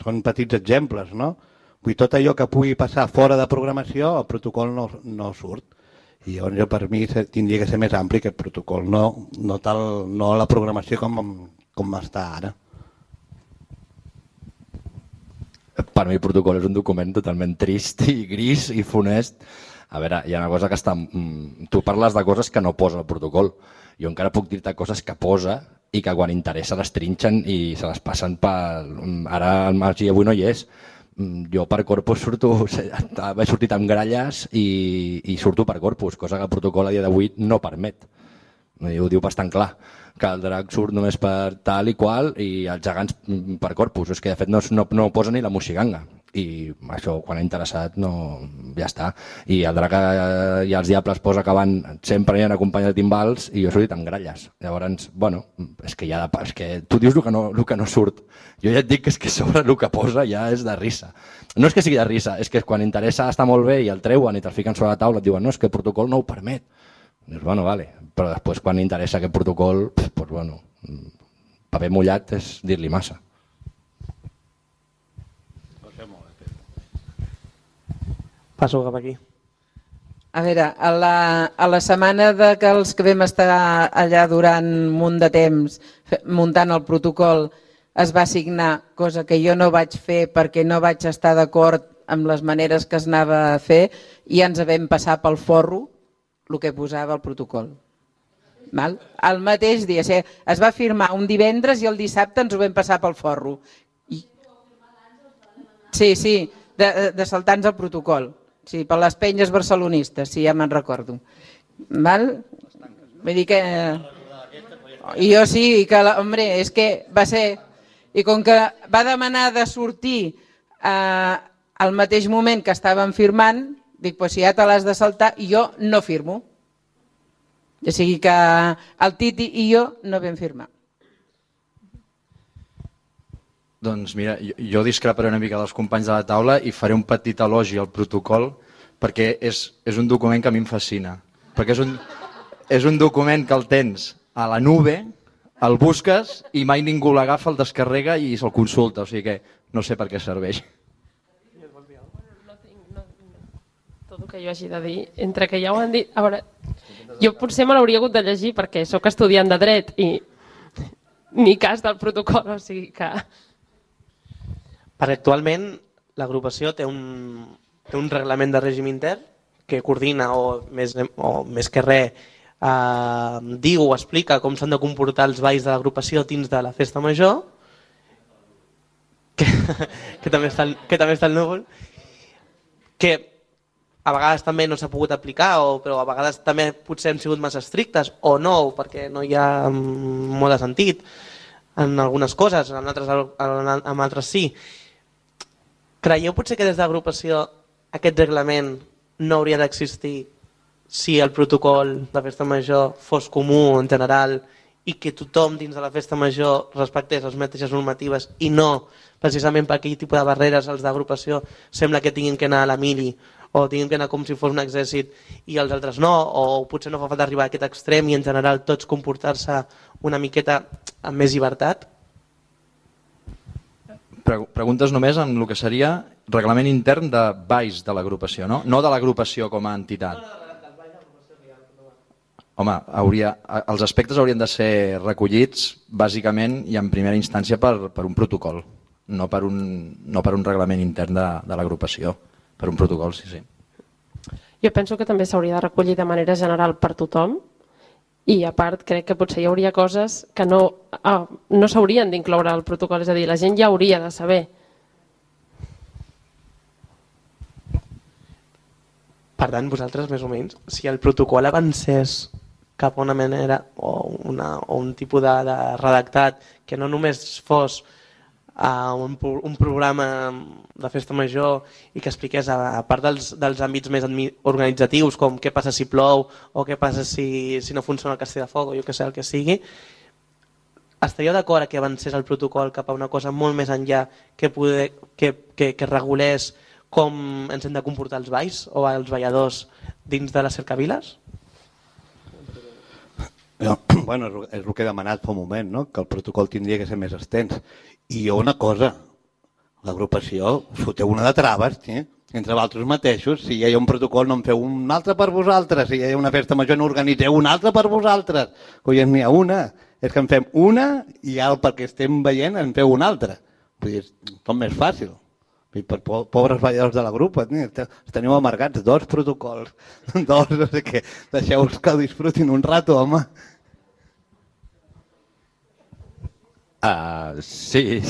Són petits exemples, no? Vull dir, tot allò que pugui passar fora de programació, el protocol no surt. I llavors jo, per mi tindria que ser més ampli que el protocol, no la programació com està ara. Per mi el protocol és un document totalment trist i gris i funest. A veure, hi ha una cosa que està... Tu parles de coses que no posa el protocol. Jo encara puc dir-te coses que posa i que quan interessa les trinxen i se les passen per... Ara el Magí avui no hi és. Jo per corpus he sortit amb gralles i surto per corpus, cosa que el protocol a dia d'avui no permet. Ho diu bastant clar, que el drac surt només per tal i qual i els gegants per corpus. És que de fet no posa ni la moixiganga. I això, quan ha interessat, ja està. I el drac i els diables posa que van sempre hi ha acompanyats de timbals i jo he sortit amb gralles. Llavors, bueno, és que tu dius el que no surt. Jo ja et dic que és que sobre el que posa ja és de risa. No és que sigui de risa, és que quan interessa està molt bé i el treuen i te'l fiquen sobre la taula et diuen no, és que el protocol no ho permet. Dius, bueno, vale. Però després quan interessa aquest protocol, doncs bueno, paper mullat és dir-li massa. Passo cap aquí. A veure, a la setmana que els que vam estar allà durant un munt de temps muntant el protocol es va signar, cosa que jo no vaig fer perquè no vaig estar d'acord amb les maneres que es anava a fer i ens vam passar pel forro el que posava el protocol. El mateix dia, es va firmar un divendres i el dissabte ens ho vam passar pel forro. Sí, de saltar-nos el protocol. Sí, per les penyes barcelonistes, sí, ja me'n recordo. Vull dir que... I jo sí, que, hombre, és que va ser... I com que va demanar de sortir al mateix moment que estàvem firmant, dic, doncs si ja te l'has de saltar, jo no firmo. O sigui que el Titi i jo no vam firmar. Doncs mira, jo discreparé una mica dels companys de la taula i faré un petit elogi al protocol perquè és un document que a mi em fascina. Perquè és un document que el tens a la nube, el busques i mai ningú l'agafa, el descarrega i se'l consulta. O sigui que no sé per què serveix. Tot el que jo hagi de dir, entre que ja ho han dit... A veure, jo potser me l'hauria hagut de llegir perquè sóc estudiant de dret i ni cas del protocol, o sigui que... Perquè actualment l'agrupació té un reglament de règim intern que coordina o més que res diu o explica com s'han de comportar els balls de l'agrupació dins de la festa major, que també està al núvol, que a vegades també no s'ha pogut aplicar, però a vegades també potser hem sigut massa estrictes o no, perquè no hi ha molt de sentit en algunes coses, en altres sí. Creieu potser que des de l'agrupació aquest reglament no hauria d'existir si el protocol de festa major fos comú en general i que tothom dins de la festa major respectés les mateixes normatives i no precisament per aquell tipus de barreres els d'agrupació sembla que tinguin que anar a la mili o tinguin que anar com si fos un exèrcit i els altres no, o potser no fa falta arribar a aquest extrem i en general tots comportar-se una miqueta amb més llibertat? Preguntes només en el que seria reglament intern de balls de l'agrupació, no? No de l'agrupació com a entitat. Home, els aspectes haurien de ser recollits bàsicament i en primera instància per un protocol, no per un reglament intern de l'agrupació, per un protocol, sí. Jo penso que també s'hauria de recollir de manera general per tothom i a part crec que potser hi hauria coses que no s'haurien d'incloure al protocol, és a dir, la gent ja hauria de saber. Per tant, vosaltres més o menys, si el protocol avancés cap a una manera o un tipus de redactat que no només fos un programa de festa major i que expliqués, a part dels àmbits més organitzatius, com què passa si plou o què passa si no funciona el castell de foc o jo que sé, el que sigui, estaríeu d'acord que avancés el protocol cap a una cosa molt més enllà que regulés com ens hem de comportar els balls o els balladors dins de les cercaviles? bueno, és el que he demanat fa un moment, no? Que el protocol tindria que ser més extens. I jo una cosa, l'agrupació us foteu una de traves, entre vosaltres mateixos. Si hi ha un protocol no en feu un altre per vosaltres, si hi ha una festa major no organitzeu una altra per vosaltres. Collons, n'hi ha una, és que en fem una i ja perquè estem veient en feu una altra. Vull dir, tot més fàcil. I per pobres balladors de la grupa, teniu amargats 2 protocols, 2, no sé què, deixeu-vos que disfrutin un rato, home. Sí.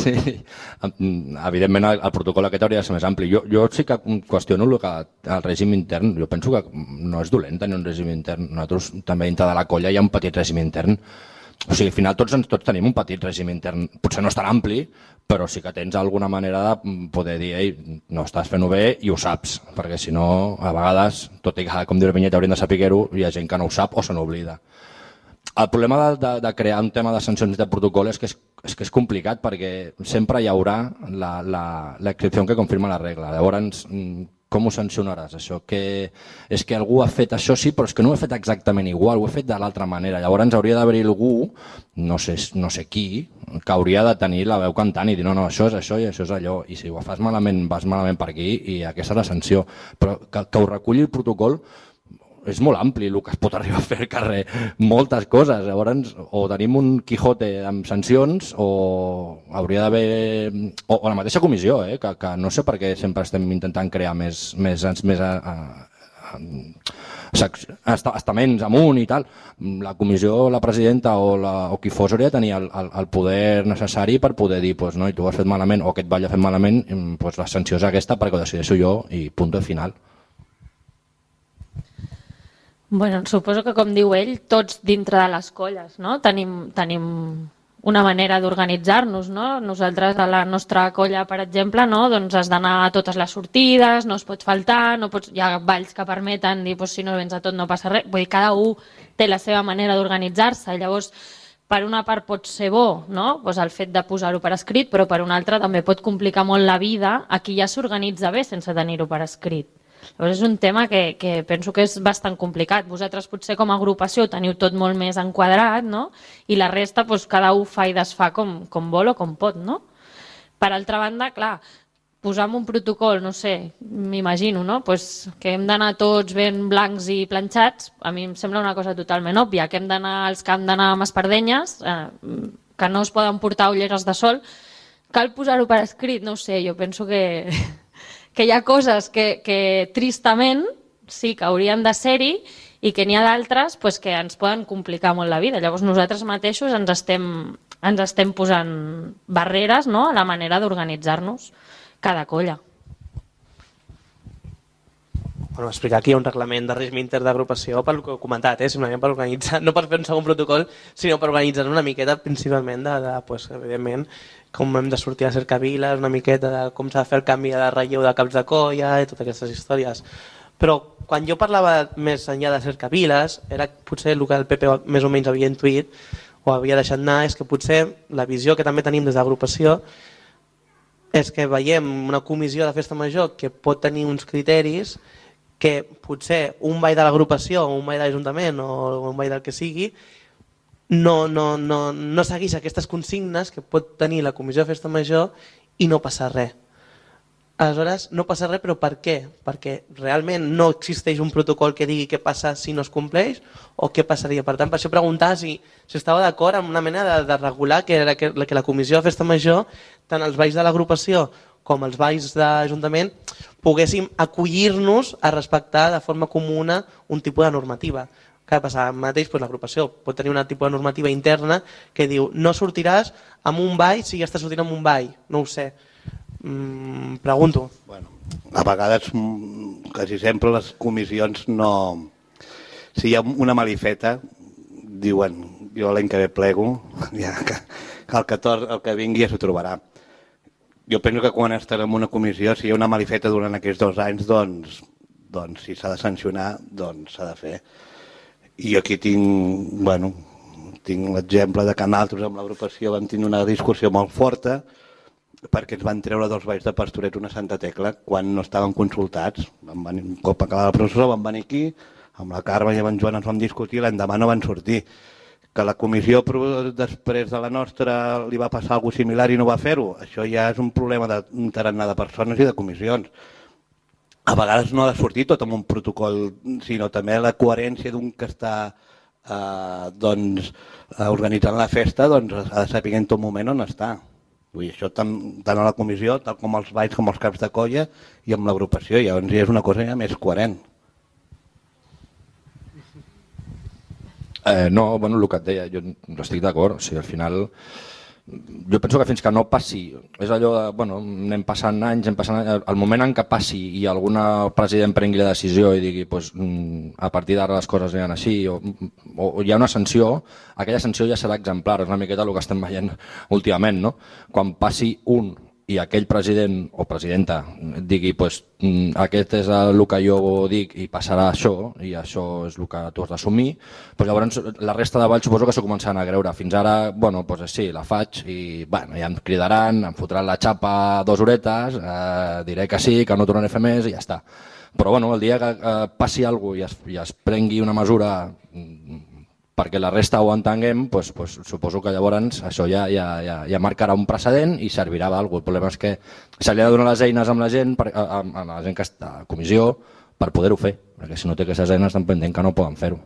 Evidentment el protocol aquest hauria de ser més ampli. Jo sí que qüestiono el règim intern. Jo penso que no és dolent tenir un règim intern. Nosaltres també dintre de la colla hi ha un petit règim intern. O sigui, al final tots tenim un petit règim intern. Potser no és tan ampli, però sí que tens alguna manera de poder dir ei, no estàs fent-ho bé i ho saps, perquè si no, a vegades, tot i que, com diu Vinyeta, hauríem de saber-ho, hi ha gent que no ho sap o se n'oblida. El problema de crear un tema de sancions de protocol és que és complicat perquè sempre hi haurà l'excepció que confirma la regla. Llavors, com ho sancionaràs, això? És que algú ha fet això, sí, però és que no ho he fet exactament igual, ho he fet de l'altra manera. Llavors hauria d'haver-hi algú, no sé qui, que hauria de tenir la veu cantant i dir no, això és això i això és allò. I si ho fas malament, vas malament per aquí i aquesta és la sanció. Però que ho reculli el protocol és molt ampli el que es pot arribar a fer al carrer, moltes coses. Llavors, o tenim un Quijote amb sancions o hauria d'haver... O la mateixa comissió, que no sé per què sempre estem intentant crear més estaments amunt i tal. La comissió, la presidenta o qui fos hauria de tenir el poder necessari per poder dir no, i tu ho has fet malament o aquest ball ha fet malament, la sanció és aquesta perquè ho decideixo jo i punt final. Bueno, suposo que, com diu ell, tots dintre de les colles, no? Tenim una manera d'organitzar-nos, no? Nosaltres, a la nostra colla, per exemple, no? Doncs has d'anar a totes les sortides, no es pot faltar, hi ha balls que permeten dir si no vens a tot no passa res. Vull dir, cada un té la seva manera d'organitzar-se. Llavors, per una part pot ser bo, no? El fet de posar-ho per escrit, però per una altra també pot complicar molt la vida a qui ja s'organitza bé sense tenir-ho per escrit. Llavors és un tema que penso que és bastant complicat. Vosaltres potser com a agrupació teniu tot molt més enquadrat, no? I la resta cada un fa i desfà com vol o com pot, no? Per altra banda, clar, posar un protocol, no sé, m'imagino, no? Que hem d'anar tots ben blancs i planxats, a mi em sembla una cosa totalment òbvia, que els que hem d'anar amb espardenyes, que no es poden portar ulleres de sol, cal posar-ho per escrit, no ho sé, jo penso que hi ha coses que tristament sí que haurien de ser-hi i que n'hi ha d'altres que ens poden complicar molt la vida. Llavors nosaltres mateixos ens estem posant barreres, no?, a la manera d'organitzar-nos cada colla. Bueno, explicar aquí un reglament de règim intern d'agrupació per el que heu comentat, simplement per organitzar, no per fer un segon protocol, sinó per organitzar una miqueta principalment evidentment, com hem de sortir a cercaviles, una miqueta de com s'ha de fer el canvi de relleu de caps de colla i totes aquestes històries. Però quan jo parlava més enllà de cercaviles, era potser el que el PP més o menys havia intuït o havia deixat anar, és que potser la visió que també tenim des de l'agrupació és que veiem una comissió de festa major que pot tenir uns criteris que potser un ball de l'agrupació o un ball de l'Ajuntament o un ball del que sigui no segueix aquestes consignes que pot tenir la comissió de festa major i no passa res. Aleshores, no passa res, però per què? Perquè realment no existeix un protocol que digui què passa si no es compleix o què passaria. Per tant, per això preguntar si estava d'acord amb una mena de regular que la comissió de festa major, tant els balls de l'agrupació com els balls d'Ajuntament, poguéssim acollir-nos a respectar de forma comuna un tipus de normativa. Què passa? Mateix, l'agrupació pot tenir un tipus de normativa interna que diu no sortiràs amb un ball si ja estàs sortint amb un ball. No ho sé. Pregunto. Bueno, a vegades, quasi sempre les comissions no... Si hi ha una malifeta, diuen jo l'any que ve plego, ja, que el que vingui ja s'ho trobarà. Jo penso que quan estarem en una comissió, si hi ha una malifeta durant aquests 2 anys, doncs si s'ha de sancionar, doncs s'ha de fer. I aquí tinc l'exemple de que nosaltres amb l'agrupació vam tenir una discussió molt forta perquè ens van treure 2 balls de Pastorets una Santa Tecla quan no estaven consultats. Un cop acabava la processó van venir aquí, amb la Carme i amb en Joan ens vam discutir, l'endemà no van sortir. Que la comissió després de la nostra li va passar alguna cosa similar i no va fer-ho, això ja és un problema d'un tarannà de persones i de comissions. A vegades no ha de sortir tot amb un protocol, sinó també la coherència d'un que està organitzant la festa, ha de saber en tot moment on està. Vull dir, això tant a la comissió, tal com els balls, com els caps de colla i amb l'agrupació, llavors ja és una cosa ja més coherent. No, bueno, el que et deia, jo estic d'acord, o sigui, al final jo penso que fins que no passi, és allò de, bueno, anem passant anys, el moment en què passi i algun president prengui la decisió i digui pues, a partir d'ara les coses aniran així o hi ha una sanció, aquella sanció ja serà exemplar, és una miqueta el que estem veient últimament, no? Quan passi un i aquell president o presidenta digui pues, aquest és el que jo dic i passarà això i això és el que tu has d'assumir, pues llavors la resta de balls suposo que s'ho començaran a creure. Fins ara, bueno, pues sí, la faig i bueno, ja em cridaran, em fotran la xapa 2 horetes, diré que sí, que no tornaré a fer més i ja està. Però bueno, el dia que passi alguna cosa i es prengui una mesura perquè la resta ho entenguem, pues, suposo que llavors això ja marcarà un precedent i servirà d'alguna cosa. El problema és que se li ha de donar les eines amb la gent que està a comissió per poder-ho fer, perquè si no té aquestes eines tampoc entenc que no poden fer-ho.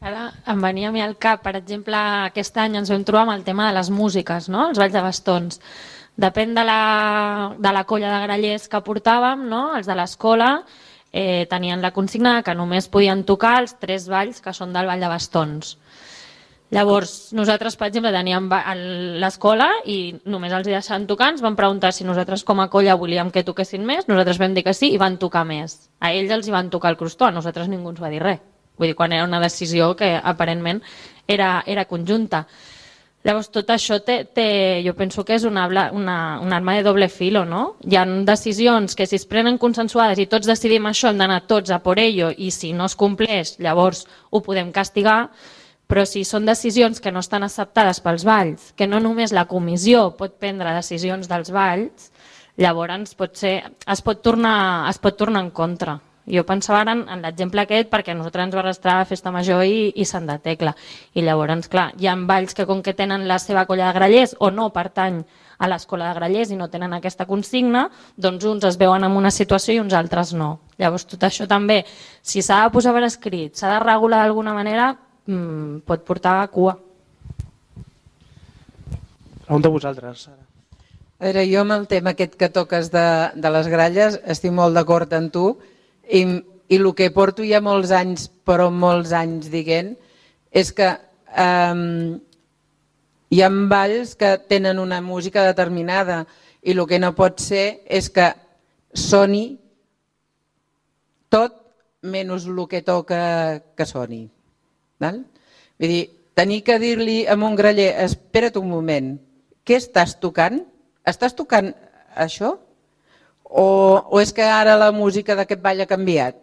Ara em venia a mi al cap, per exemple, aquest any ens vam trobar amb el tema de les músiques, no? Els balls de bastons. Depèn de la colla de grallers que portàvem, no? Els de l'escola, tenien la consigna que només podien tocar els 3 balls que són del ball de bastons. Llavors, nosaltres, per exemple, teníem l'escola i només els deixaven tocar, ens van preguntar si nosaltres com a colla volíem que toquessin més, nosaltres vam dir que sí i van tocar més. A ells els hi van tocar el crostó, a nosaltres ningú ens va dir res. Vull dir, quan era una decisió que aparentment era conjunta. Llavors, tot això jo penso que és una arma de doble filo, no? Hi ha decisions que si es prenen consensuades i tots decidim això, hem d'anar tots a por ello i si no es compleix, llavors ho podem castigar, però si són decisions que no estan acceptades pels balls, que no només la comissió pot prendre decisions dels balls, llavors es pot tornar en contra. Jo pensava ara en l'exemple aquest perquè a nosaltres ens va arrastrar a Festa Major i Sant de Tecla. I llavors, clar, hi ha balls que com que tenen la seva colla de grallers o no pertany a l'escola de grallers i no tenen aquesta consigna, doncs uns es veuen en una situació i uns altres no. Llavors tot això també, si s'ha de posar per escrit, s'ha de regular d'alguna manera, pot portar a cua. Pregunta a vosaltres, Sara. A veure, jo amb el tema aquest que toques de les gralles estic molt d'acord amb tu. I el que porto ja molts anys, però molts anys dient, és que hi ha balls que tenen una música determinada i el que no pot ser és que soni tot menys el que toca que soni. Vull dir, tenir que dir-li a un graller, espera't un moment, què estàs tocant? Estàs tocant això? O és que ara la música d'aquest ball ha canviat?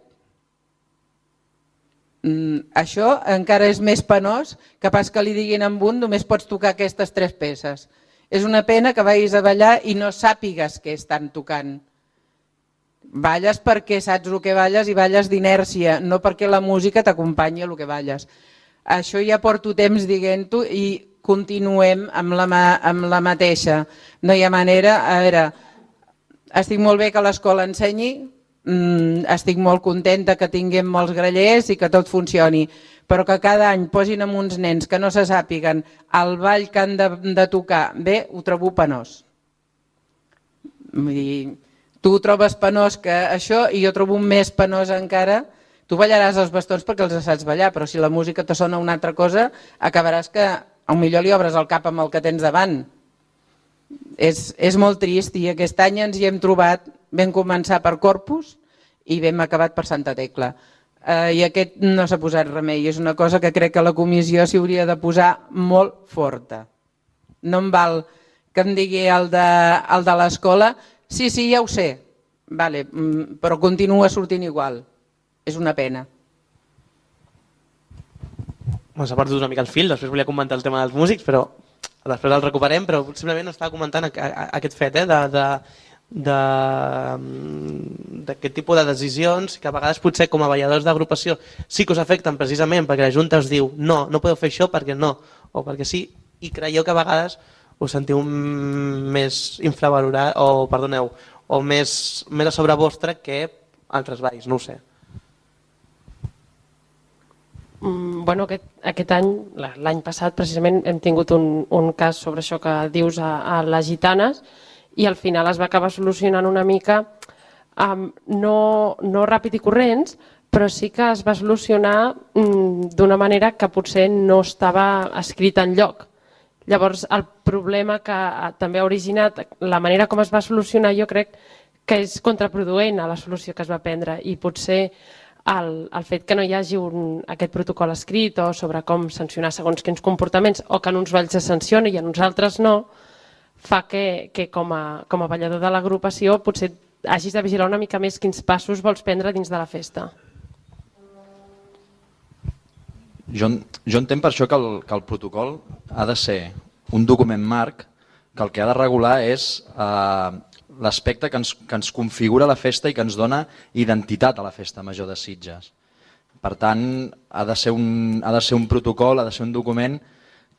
Això encara és més penós que pas que li diguin amb un només pots tocar aquestes 3 peces. És una pena que vagis a ballar i no sàpigues què estan tocant. Balles perquè saps el que balles i balles d'inèrcia, no perquè la música t'acompanyi el que balles. Això ja porto temps dient-ho i continuem amb la mateixa. No hi ha manera. A veure, estic molt bé que l'escola ensenyi, estic molt contenta que tinguem molts grallers i que tot funcioni, però que cada any posin amb uns nens que no se sàpiguen el ball que han de tocar bé, ho trobo penós. Vull dir, tu ho trobes penós que això i jo trobo més penós encara. Tu ballaràs els bastons perquè els saps ballar, però si la música te sona una altra cosa, acabaràs que potser li obres el cap amb el que tens davant. És molt trist i aquest any ens hi hem trobat, vam començar per Corpus i vam acabat per Santa Tecla. I aquest no s'ha posat remei, és una cosa que crec que la comissió s'hi hauria de posar molt forta. No em val que em digui el de l'escola, sí, ja ho sé, però continua sortint igual. És una pena. S'ha perdut una mica el fil, després volia comentar el tema dels músics, però després el recuperem, però simplement estava comentant aquest fet de d'aquest tipus de decisions que a vegades potser com a balladors d'agrupació sí que us afecten precisament perquè la Junta us diu no podeu fer això perquè no, o perquè sí, i creieu que a vegades us sentiu més infravalorat, o perdoneu, o més a sobre vostre que altres balls, no ho sé. Bueno, aquest any, l'any passat precisament hem tingut un cas sobre això que dius a les gitanes i al final es va acabar solucionant una mica, no ràpid i corrents, però sí que es va solucionar d'una manera que potser no estava escrita enlloc. Llavors el problema que també ha originat, la manera com es va solucionar jo crec que és contraproduent a la solució que es va prendre i potser el fet que no hi hagi aquest protocol escrit o sobre com sancionar segons quins comportaments o que en uns balls es sanciona i en uns altres no, fa que com a ballador de l'agrupació potser hagis de vigilar una mica més quins passos vols prendre dins de la festa. Jo entenc per això que el protocol ha de ser un document marc que el que ha de regular és l'aspecte que ens configura la festa i que ens dona identitat a la festa major de Sitges. Per tant, ha de ser un protocol, ha de ser un document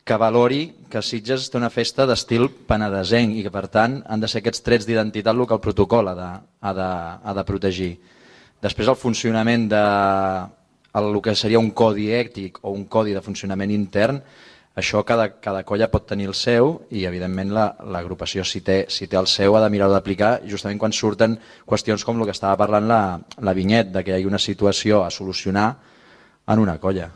que valori que Sitges té una festa d'estil penedesenc i que per tant han de ser aquests trets d'identitat el que el protocol ha de protegir. Després el funcionament el que seria un codi ètic o un codi de funcionament intern, això cada colla pot tenir el seu i evidentment l'agrupació si té el seu ha de mirar-ho d'aplicar justament quan surten qüestions com el que estava parlant la Vinyet, que hi hagi una situació a solucionar en una colla.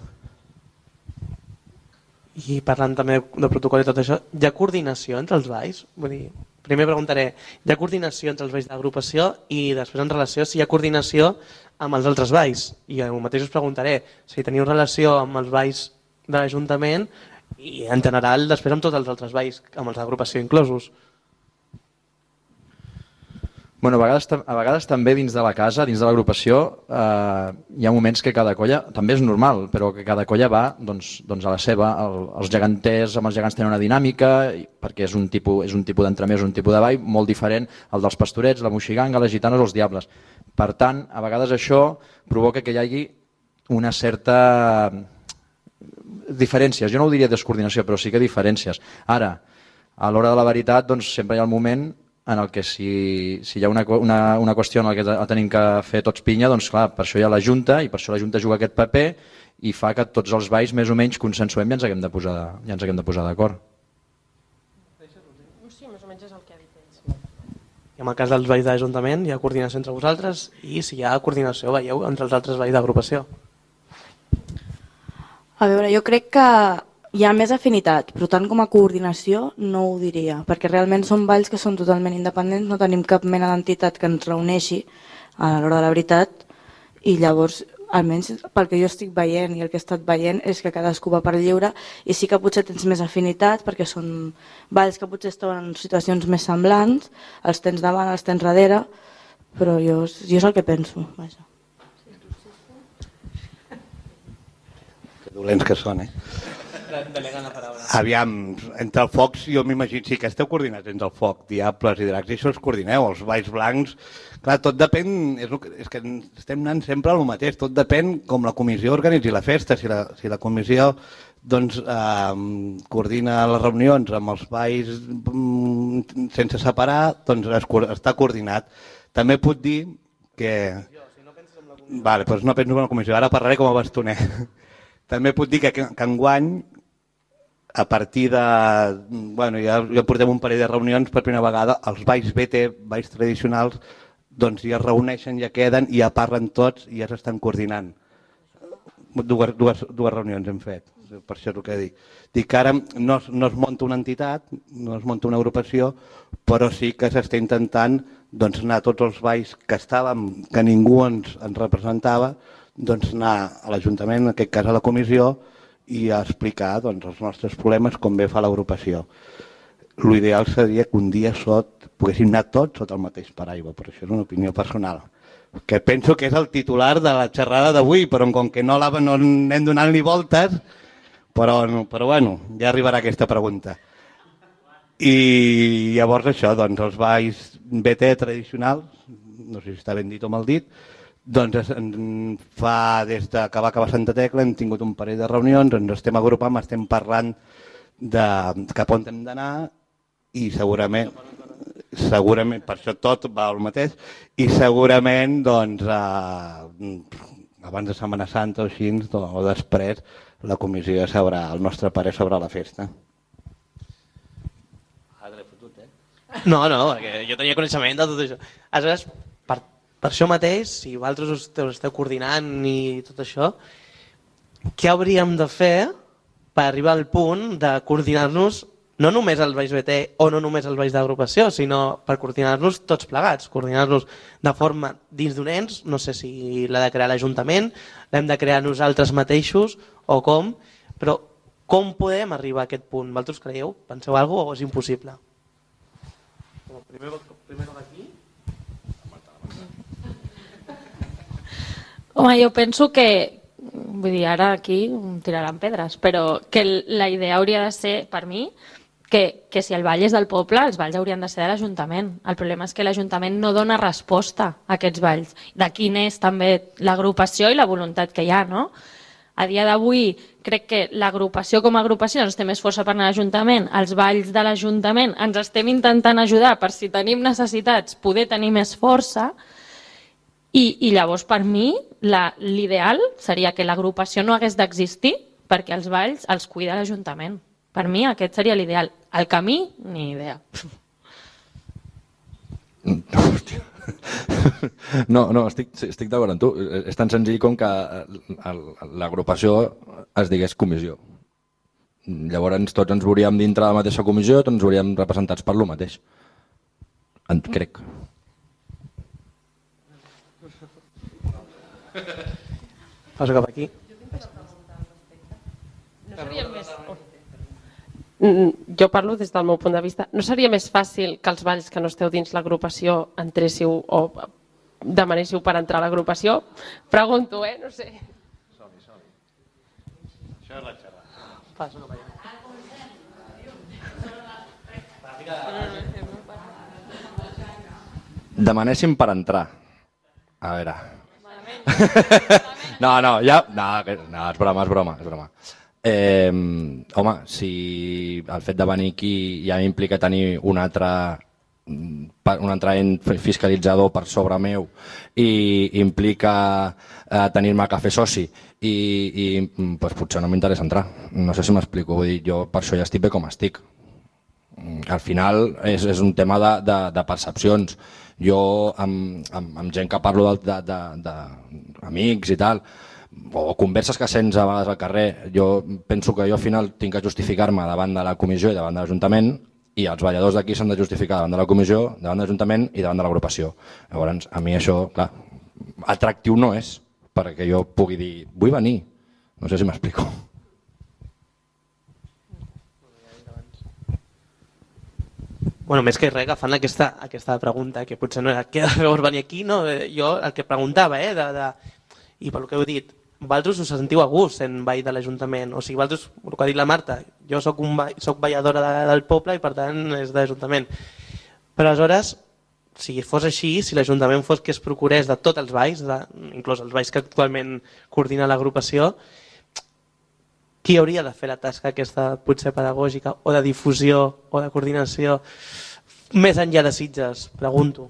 I parlant també de protocol i tot això, hi ha coordinació entre els balls? Vull dir, primer preguntaré, hi ha coordinació entre els balls d'agrupació i després en relació si hi ha coordinació amb els altres balls? I el mateix us preguntaré si teniu relació amb els balls de l'Ajuntament i en general després amb tots els altres balls, amb els d'agrupació inclosos. Bueno, a vegades també dins de la casa, dins de l'agrupació, hi ha moments que cada colla, també és normal, però que cada colla va doncs a la seva. Els geganters amb els gegants tenen una dinàmica, perquè és un tipus d'entremès, un tipus de ball molt diferent al dels pastorets, la moixiganga, les gitanes o els diables. Per tant, a vegades això provoca que hi hagi una certa diferències. Jo no ho diria descoordinació, però sí que diferències. Ara, a l'hora de la veritat, doncs sempre hi ha el moment en el que si hi ha una qüestió en la que tenim que fer tots pinya, doncs clar, per això hi ha la Junta i per això la Junta juga aquest paper i fa que tots els balls més o menys consensuem i ens haguem de posar d'acord. Sí, més o menys és el que ha dit ells. I en el cas dels balls d'Ajuntament hi ha coordinació entre vosaltres i si hi ha coordinació, veieu, entre els altres balls d'agrupació. A veure, jo crec que hi ha més afinitat, però tant com a coordinació no ho diria, perquè realment són balls que són totalment independents, no tenim cap mena d'entitat que ens reuneixi a l'hora de la veritat i llavors, almenys pel que jo estic veient i el que he estat veient és que cadascú va per lliure i sí que potser tens més afinitat perquè són balls que potser estan en situacions més semblants, els tens davant, els tens darrere, però jo és el que penso. Vaja. Dolents que són, Delegant la paraula. Aviam, entre el foc, jo m'imagino, sí que esteu coordinats entre el foc, diables i dracs, i això els coordineu, els balls blancs, clar, tot depèn, és que estem anant sempre al mateix, tot depèn com la comissió organitzi la festa, si la comissió doncs, coordina les reunions amb els balls sense separar, doncs està coordinat. També puc dir que... Vale, doncs no penso en la comissió, ara parlaré com a bastoner. També puc dir que enguany, a partir de... Bueno, ja portem un parell de reunions per primera vegada, els balls BT, balls tradicionals, doncs ja es reuneixen, ja queden, i ja parlen tots i ja s'estan coordinant. Dues reunions hem fet, per això és el que dic. Dic que ara no es munta una entitat, no es munta una agrupació, però sí que s'està intentant doncs, anar a tots els balls que estàvem, que ningú ens representava, doncs anar a l'Ajuntament, en aquest cas a la comissió, i a explicar doncs, els nostres problemes com bé fa l'agrupació. L'ideal seria que un dia poguéssim anar tots sota el mateix paraigua, però això és una opinió personal. Que penso que és el titular de la xerrada d'avui, però com que no anem donant-li voltes, però bueno, ja arribarà aquesta pregunta. I llavors això, doncs els balls BT tradicionals, no sé si està ben dit o mal dit, doncs fa des que va acabar Santa Tecla hem tingut un parell de reunions, ens estem agrupant, estem parlant de cap on hem d'anar i segurament per això tot va al mateix i segurament doncs abans de Setmana Santa o així o després la comissió ja sabrà el nostre parer sobre la festa. No, perquè jo tenia coneixement de tot això. Aleshores, per això mateix, si vosaltres us esteu coordinant i tot això, què hauríem de fer per arribar al punt de coordinar-nos no només els balls BT o no només els balls d'agrupació, sinó per coordinar-nos tots plegats, coordinar-nos de forma dins d'un ens, no sé si l'ha de crear l'Ajuntament, l'hem de crear nosaltres mateixos o com, però com podem arribar a aquest punt? Vosaltres creieu? Penseu alguna cosa o és impossible? Primer aquí. Home, jo penso que, vull dir, ara aquí tiraran pedres, però que la idea hauria de ser, per mi, que si el ball és del poble, els balls haurien de ser de l'Ajuntament. El problema és que l'Ajuntament no dona resposta a aquests balls. D'aquí n'és també l'agrupació i la voluntat que hi ha, no? A dia d'avui crec que l'agrupació com a agrupació ens té més força per anar a l'Ajuntament, els balls de l'Ajuntament ens estem intentant ajudar per si tenim necessitats poder tenir més força i llavors per mi l'ideal seria que l'agrupació no hagués d'existir perquè els balls els cuida l'Ajuntament. Per mi aquest seria l'ideal. El camí, ni idea. No, estic d'acord amb tu. És tan senzill com que l'agrupació es digués comissió. Llavors tots ens veuríem dintre de la mateixa comissió, tots ens veuríem representats per lo mateix. Crec. Passo cap aquí. No seria més... Jo parlo des del meu punt de vista. No seria més fàcil que els balls que no esteu dins l'agrupació entréssiu o demanéssiu per entrar a l'agrupació? Pregunto, no sé. Som-hi. Això és la xerrada. Passo cap allà. Demanéssim per entrar. A veure... No, és broma. Home, si el fet de venir aquí ja m'implica tenir un altre fiscalitzador per sobre meu i implica tenir-me a fer soci i pues, potser no m'interessa entrar. No sé si m'explico, vull dir, jo per això ja estic bé com estic. Al final és un tema de percepcions. Jo amb gent que parlo d'amics i tal, o converses que sents a vegades al carrer, jo penso que jo al final tinc que justificar-me davant de la comissió i davant de l'Ajuntament i els balladors d'aquí s'han de justificar davant de la comissió, davant de l'Ajuntament i davant de l'agrupació. Llavors, a mi això, clar, atractiu no és perquè jo pugui dir, vull venir. No sé si m'explico. Bueno, més que res, agafant aquesta pregunta, que potser no era què llavors venir aquí, no? Jo el que preguntava, i pel que heu dit, vosaltres us sentiu a gust sent ball de l'Ajuntament, o sigui, vosaltres, el que ha dit la Marta, jo soc balladora del poble i per tant és de l'Ajuntament. Però aleshores, si fos així, si l'Ajuntament fos que es procurés de tots els balls, inclús els balls que actualment coordina l'agrupació, qui hauria de fer la tasca aquesta potser pedagògica o de difusió o de coordinació més enllà de Sitges, pregunto.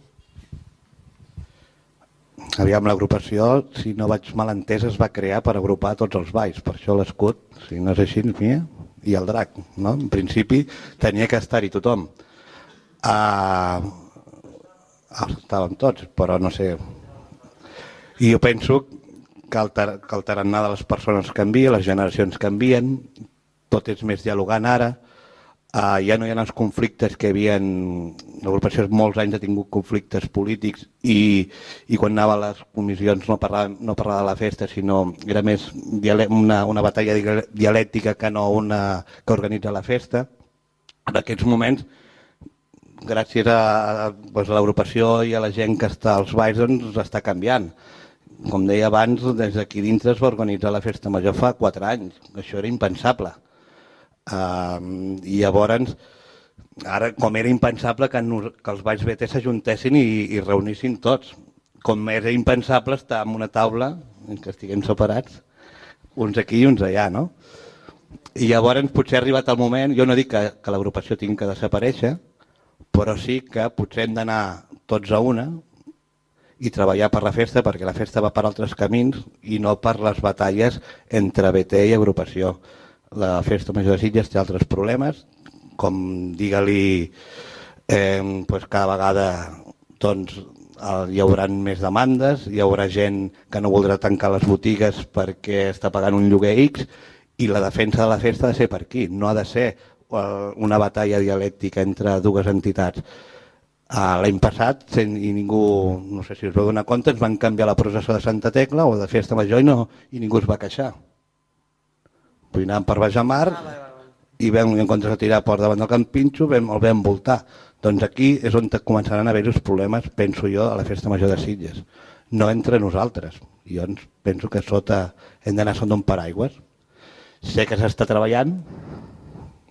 Aviam, l'agrupació, si no vaig mal entès, es va crear per agrupar tots els balls, per això l'escut, si no és així, i el drac, no? En principi tenia que estar-hi tothom. Estàvem tots, però no sé. I jo penso que el tarannà de les persones canvia, les generacions canvien, tot és més dialogant ara, ja no hi ha els conflictes que hi havia... L'agrupació molts anys ha tingut conflictes polítics i quan anava a les comissions no parlava de la festa, sinó era més una batalla dialèctica que no una que organitza la festa. En aquests moments, gràcies a l'agrupació i a la gent que està als balls, doncs està canviant. Com deia abans, des d'aquí dintre es va organitzar la festa major fa 4 anys. Això era impensable. I llavors Ara, com era impensable que els Valls BT s'ajuntessin i reunissin tots. Com era impensable estar en una taula en què estiguem separats, uns aquí i uns allà, no? I llavors potser ha arribat el moment, jo no dic que l'agrupació tingui que desaparèixer, però sí que potser hem d'anar tots a una i treballar per la festa, perquè la festa va per altres camins i no per les batalles entre BT i agrupació. La Festa Major de Sitges té altres problemes, com digue-li, cada vegada hi haurà més demandes, hi haurà gent que no voldrà tancar les botigues perquè està pagant un lloguer X, i la defensa de la festa ha de ser per aquí, no ha de ser una batalla dialèctica entre dues entitats. L'any passat, i ningú, no sé si us vau donar compte, ens van canviar la processó de Santa Tecla o de Festa Major i ningú es va queixar. Vull anar per Bajamar i en comptes de tirar por davant del Camp Pinxo el vam voltar. Doncs aquí és on començaran a haver els problemes, penso jo, a la Festa Major de Sitges. No entre nosaltres. Jo penso que hem d'anar sota un paraigües. Sé que s'està treballant,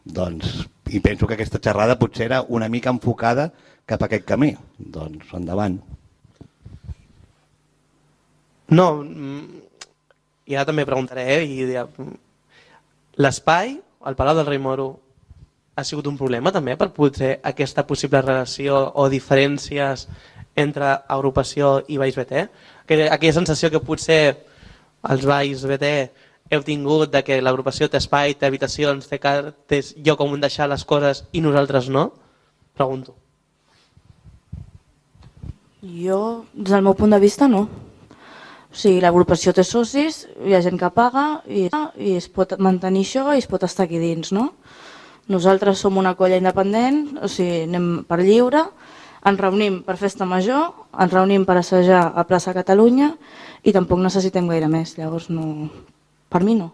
i penso que aquesta xerrada potser era una mica enfocada cap a aquest camí. Doncs endavant. No, i ara també preguntaré, l'espai, al Palau del Rei Moro, ha sigut un problema també per potser aquesta possible relació o diferències entre agrupació i Valls BT? Aquella sensació que potser els Valls BT heu tingut de que l'agrupació té espai, té habitacions, té lloc on deixar les coses i nosaltres no? Pregunto. Jo, des del meu punt de vista, no. O sigui, l'agrupació té socis, hi ha gent que paga i es pot mantenir això i es pot estar aquí dins, no? Nosaltres som una colla independent, o sigui, anem per lliure, ens reunim per festa major, ens reunim per assajar a plaça Catalunya i tampoc necessitem gaire més, llavors no... Per mi no.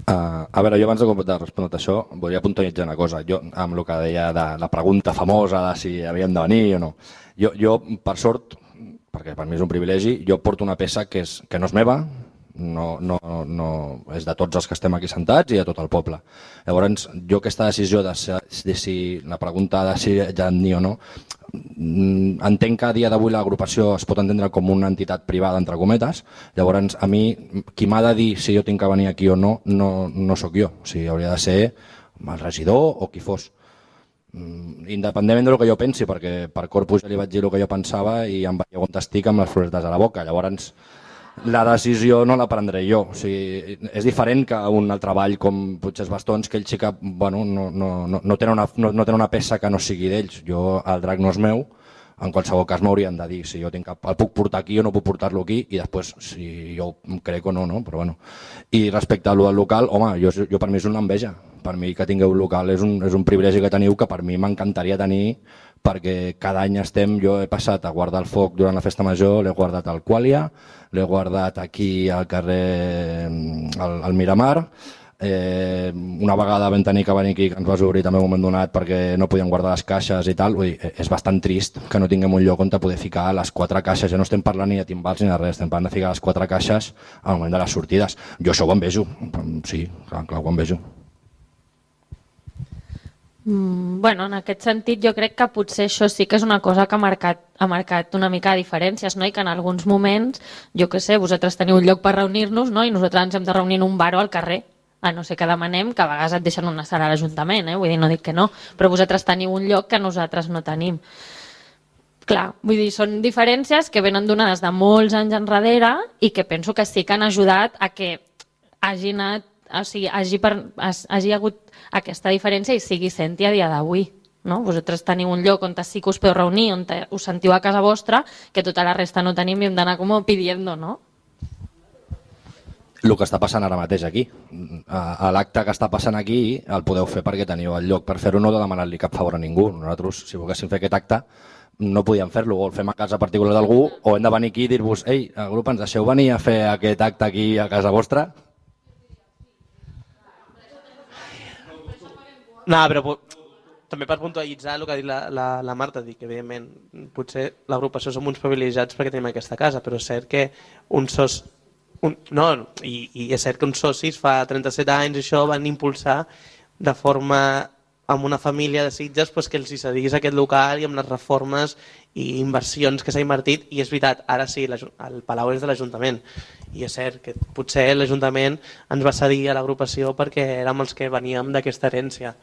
A veure, jo abans de respondre això volia puntualitzar una cosa. Jo, amb el que deia de la pregunta famosa de si havíem de venir o no. Jo, per sort, perquè per mi és un privilegi, jo porto una peça que no és meva, no és de tots els que estem aquí sentats i de tot el poble. Llavors, jo aquesta decisió de si la pregunta de si ja en dir o no, entenc que a dia d'avui l'agrupació es pot entendre com una entitat privada, entre cometes. Llavors, a mi, qui m'ha de dir si jo tinc que venir aquí o no, no sóc jo. O sigui, hauria de ser el regidor o qui fos. Independentment del que jo pensi, perquè per Corpus ja li vaig dir el que jo pensava i em veieu on estic amb les floretes a la boca. Llavors, la decisió no la prendré jo. O sigui, és diferent que un altre ball com potser els bastons, que ells sí que no tenen una peça que no sigui d'ells. Jo, el drac no és meu, en qualsevol cas m'haurien de dir si jo el puc portar aquí o no puc portar-lo aquí i després si jo crec o no, però bueno. I respecte a lo del local, home, jo per mi és una enveja. Per mi que tingueu un local és un privilegi que teniu, que per mi m'encantaria tenir, perquè cada any jo he passat a guardar el foc durant la festa major, l'he guardat al Qualia, l'he guardat aquí al carrer al Miramar, una vegada vam tenir que venir aquí, que ens vas obrir també un moment donat perquè no podíem guardar les caixes i tal. Vull dir, és bastant trist que no tinguem un lloc on poder ficar les 4 caixes. Ja no estem parlant ni de timbals ni de res, estem parlant de ficar les 4 caixes al moment de les sortides. Jo això ho envejo, sí, clar, ho envejo. Bueno, en aquest sentit jo crec que potser això sí que és una cosa que ha marcat una mica de diferències, no? I que en alguns moments, jo què sé, vosaltres teniu un lloc per reunir-nos, no? I nosaltres ens hem de reunir en un bar o al carrer, a no ser que demanem, que a vegades et deixen una sala a l'Ajuntament, vull dir, no dic que no, però vosaltres teniu un lloc que nosaltres no tenim. Clar, vull dir, són diferències que venen donades de molts anys enrere i que penso que sí que han ajudat a que hagi anat, o sigui, hagi hagut aquesta diferència i sigui senti a dia d'avui. No? Vosaltres teniu un lloc on sí que us podeu reunir, on us sentiu a casa vostra, que tota la resta no tenim i hem d'anar com pidiendo, no? El que està passant ara mateix aquí. L'acte que està passant aquí el podeu fer perquè teniu el lloc per fer-ho, no de demanar-li cap favor a ningú. Nosaltres, si volguéssim fer aquest acte, no podíem fer-lo, o el fem a casa particular d'algú, o hem de venir aquí i dir-vos, ei, el grup, ens deixeu venir a fer aquest acte aquí a casa vostra? No, però també per puntualitzar el que ha dit la Marta, dic que evidentment potser l'agrupació som uns privilegiats perquè tenim aquesta casa, però és cert que i és cert que uns socis fa 37 anys això van impulsar de forma amb una família de Sitges pues, que els hi cedís aquest local i amb les reformes i inversions que s'ha invertit, i és veritat, ara sí, el Palau és de l'Ajuntament, i és cert que potser l'Ajuntament ens va cedir a l'agrupació perquè érem els que veníem d'aquesta herència.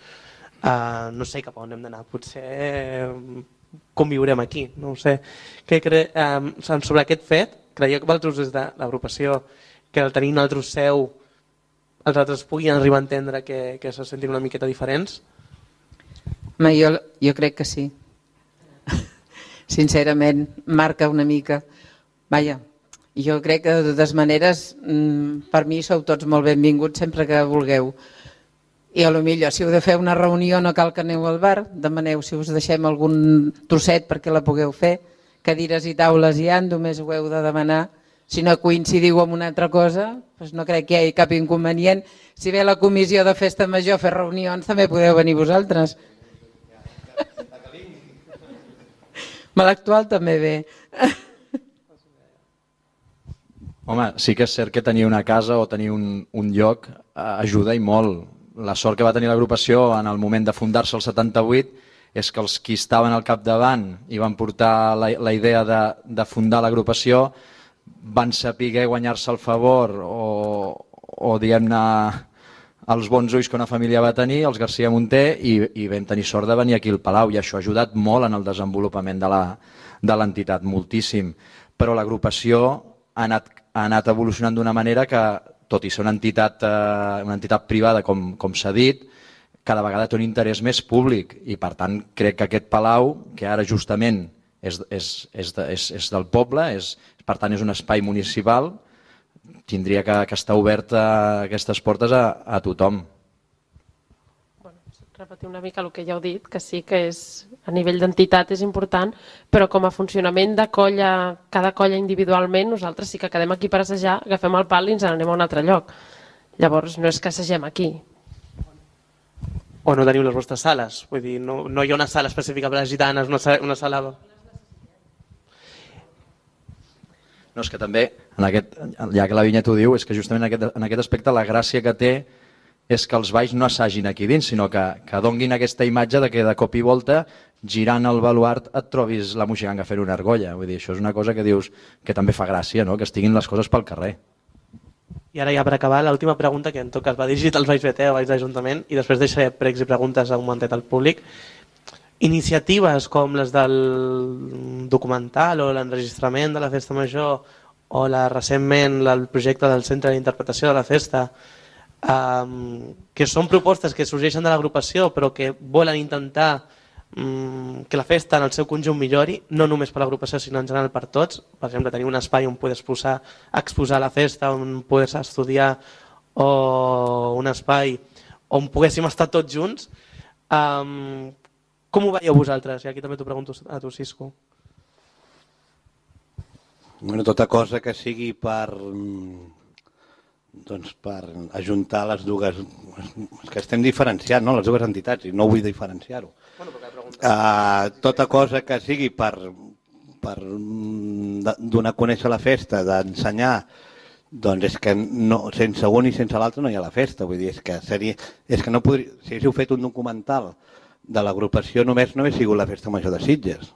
No sé cap a on hem d'anar, potser conviurem aquí, no ho sé. Sobre aquest fet, creieu que vosaltres des de l'agrupació, que al tenir un altre seu, els altres puguin arribar a entendre que se sentin una miqueta diferents? Jo crec que sí. Sincerament, marca una mica. Vaja, jo crec que de totes maneres, per mi sou tots molt benvinguts sempre que vulgueu. I a lo millor, si heu de fer una reunió, no cal que aneu al bar, demaneu si us deixem algun trosset perquè la pugueu fer. Cadires i taules hi ha, només ho heu de demanar. Si no coincidiu amb una altra cosa, doncs no crec que hi hagi cap inconvenient. Si ve la comissió de festa major a fer reunions, també podeu venir vosaltres. Me l'actual també ve. Home, sí que és cert que tenir una casa o tenir un lloc ajuda i molt. La sort que va tenir l'agrupació en el moment de fundar-se el 78 és que els qui estaven al capdavant i van portar la idea de fundar l'agrupació van saber guanyar-se el favor o diguem-ne els bons ulls que una família va tenir, els García Munter, i vam tenir sort de venir aquí al Palau, i això ha ajudat molt en el desenvolupament de l'entitat, moltíssim. Però l'agrupació ha anat evolucionant d'una manera que, tot i ser una entitat privada, com s'ha dit, cada vegada té un interès més públic, i per tant crec que aquest Palau, que ara justament és del poble, per tant és un espai municipal, tindria que estar obert aquestes portes a tothom. Repetir una mica el que ja heu dit, que sí que és, a nivell d'entitat és important, però com a funcionament de colla, cada colla individualment, nosaltres sí que quedem aquí per assajar, agafem el pal i ens n'anem a un altre lloc. Llavors no és que assagem aquí. O no teniu les vostres sales, vull dir, no hi ha una sala específica per a les gitanes, una sala... No, és que també, ja que la Vinyet ho diu, és que justament en aquest aspecte la gràcia que té és que els balls no assagin aquí dins, sinó que donguin aquesta imatge de que de cop i volta, girant el baluart, et trobis la moixiganga fent una argolla. Vull dir, això és una cosa que dius que també fa gràcia, no? Que estiguin les coses pel carrer. I ara ja per acabar, l'última pregunta, que en tot cas va dirigit als Valls BT o Valls d'Ajuntament, i després deixaré pregs i preguntes a un momentet al públic. Iniciatives com les del documental o l'enregistrament de la festa major o recentment el projecte del Centre d'Interpretació de la Festa, que són propostes que sorgeixen de l'agrupació però que volen intentar que la festa en el seu conjunt millori, no només per l'agrupació sinó en general per tots. Per exemple, tenir un espai on poder exposar la festa, on poder estudiar, o un espai on poguéssim estar tots junts. Com ho veieu vosaltres? I aquí també t'ho pregunto a tu, Cisco. Bueno, tota cosa que sigui per ajuntar les dues... És que estem diferenciant, no?, les dues entitats, i no vull diferenciar-ho. Tota cosa que sigui per donar a conèixer la festa, d'ensenyar, doncs és que sense un i sense l'altre no hi ha la festa. Vull dir, és que no podria... Si haguéssiu fet un documental de l'agrupació només no hauria sigut la festa major de Sitges,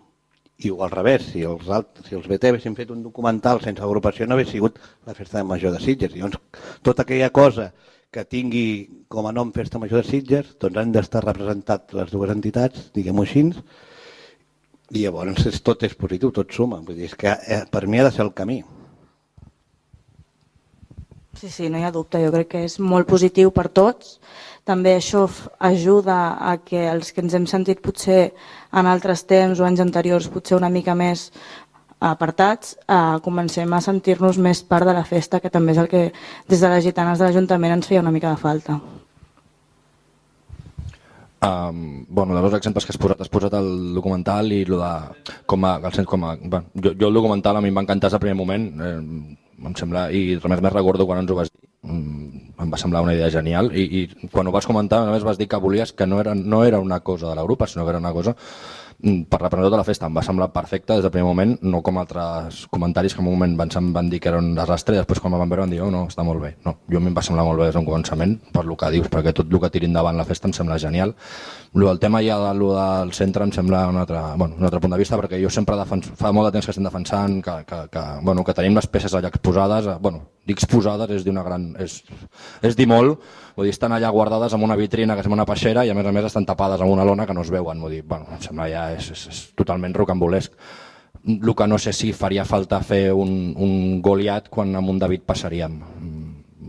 i al revés, si els BT haguessin fet un documental sense agrupació no hauria sigut la festa major de Sitges. I llavors tota aquella cosa que tingui com a nom festa major de Sitges doncs han d'estar representat les dues entitats, diguem-ho així, i llavors tot és positiu, tot suma. Vull dir, és que per mi ha de ser el camí. Sí, no hi ha dubte, jo crec que és molt positiu per tots. També això ajuda a que els que ens hem sentit potser en altres temps o anys anteriors potser una mica més apartats, comencem a sentir-nos més part de la festa, que també és el que des de les gitanes de l'Ajuntament ens feia una mica de falta. Dels dos exemples que has posat el documental i el de jo el documental a mi em va encantar des del primer moment, em sembla, i res més recordo quan ens ho vas dir, em va semblar una idea genial, i quan ho vas comentar només vas dir que volies que no era una cosa de la grupa, sinó que era una cosa per representar tota la festa em va semblar perfecte des del primer moment, no com altres comentaris que en un moment van dir que era un desastre i després quan van veure van dir no, està molt bé. No, jo a mi em va semblar molt bé des d'un començament per el que dius, perquè tot el que tiri endavant la festa em sembla genial. El tema ja del centre em sembla un altre punt de vista, perquè jo sempre fa molt de temps que estem defensant que tenim les peces allà exposades, dic exposades és dir molt, vull dir, estan allà guardades en una vitrina que sembla una peixera i a més estan tapades amb una lona que no es veuen, vull dir, em sembla ja és totalment rocambolesc. El que no sé si faria falta fer un Goliat quan amb un David passaríem,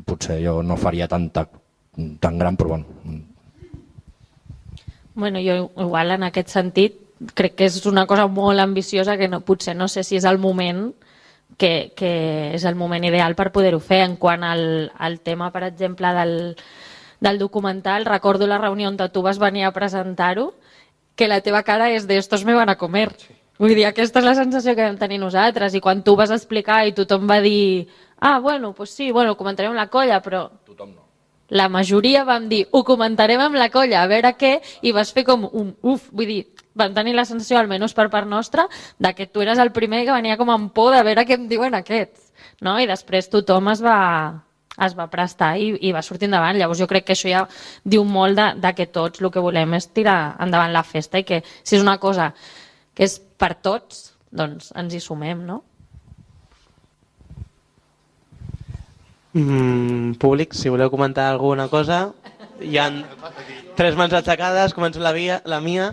potser jo no faria tan gran, però Bueno, jo igual en aquest sentit crec que és una cosa molt ambiciosa que potser no sé si és el moment que és el moment ideal per poder-ho fer. En quant al tema, per exemple, del documental, recordo la reunió on tu vas venir a presentar-ho, que la teva cara és de estos me van a comer. Vull dir, aquesta és la sensació que vam tenir nosaltres, i quan tu vas explicar i tothom va dir pues sí, comentarem amb la colla, però tothom no. La majoria vam dir, ho comentarem amb la colla, a veure què, i vas fer com un uf, vull dir, vam tenir la sensació, almenys per part nostra, que tu eres el primer que venia com amb por de veure què em diuen aquests, no? I després tothom es va prestar i va sortir endavant. Llavors jo crec que això ja diu molt de que tots el que volem és tirar endavant la festa i que si és una cosa que és per tots, doncs ens hi sumem, no? Públic, si voleu comentar alguna cosa, hi ha 3 mans aixecades, començo la mia.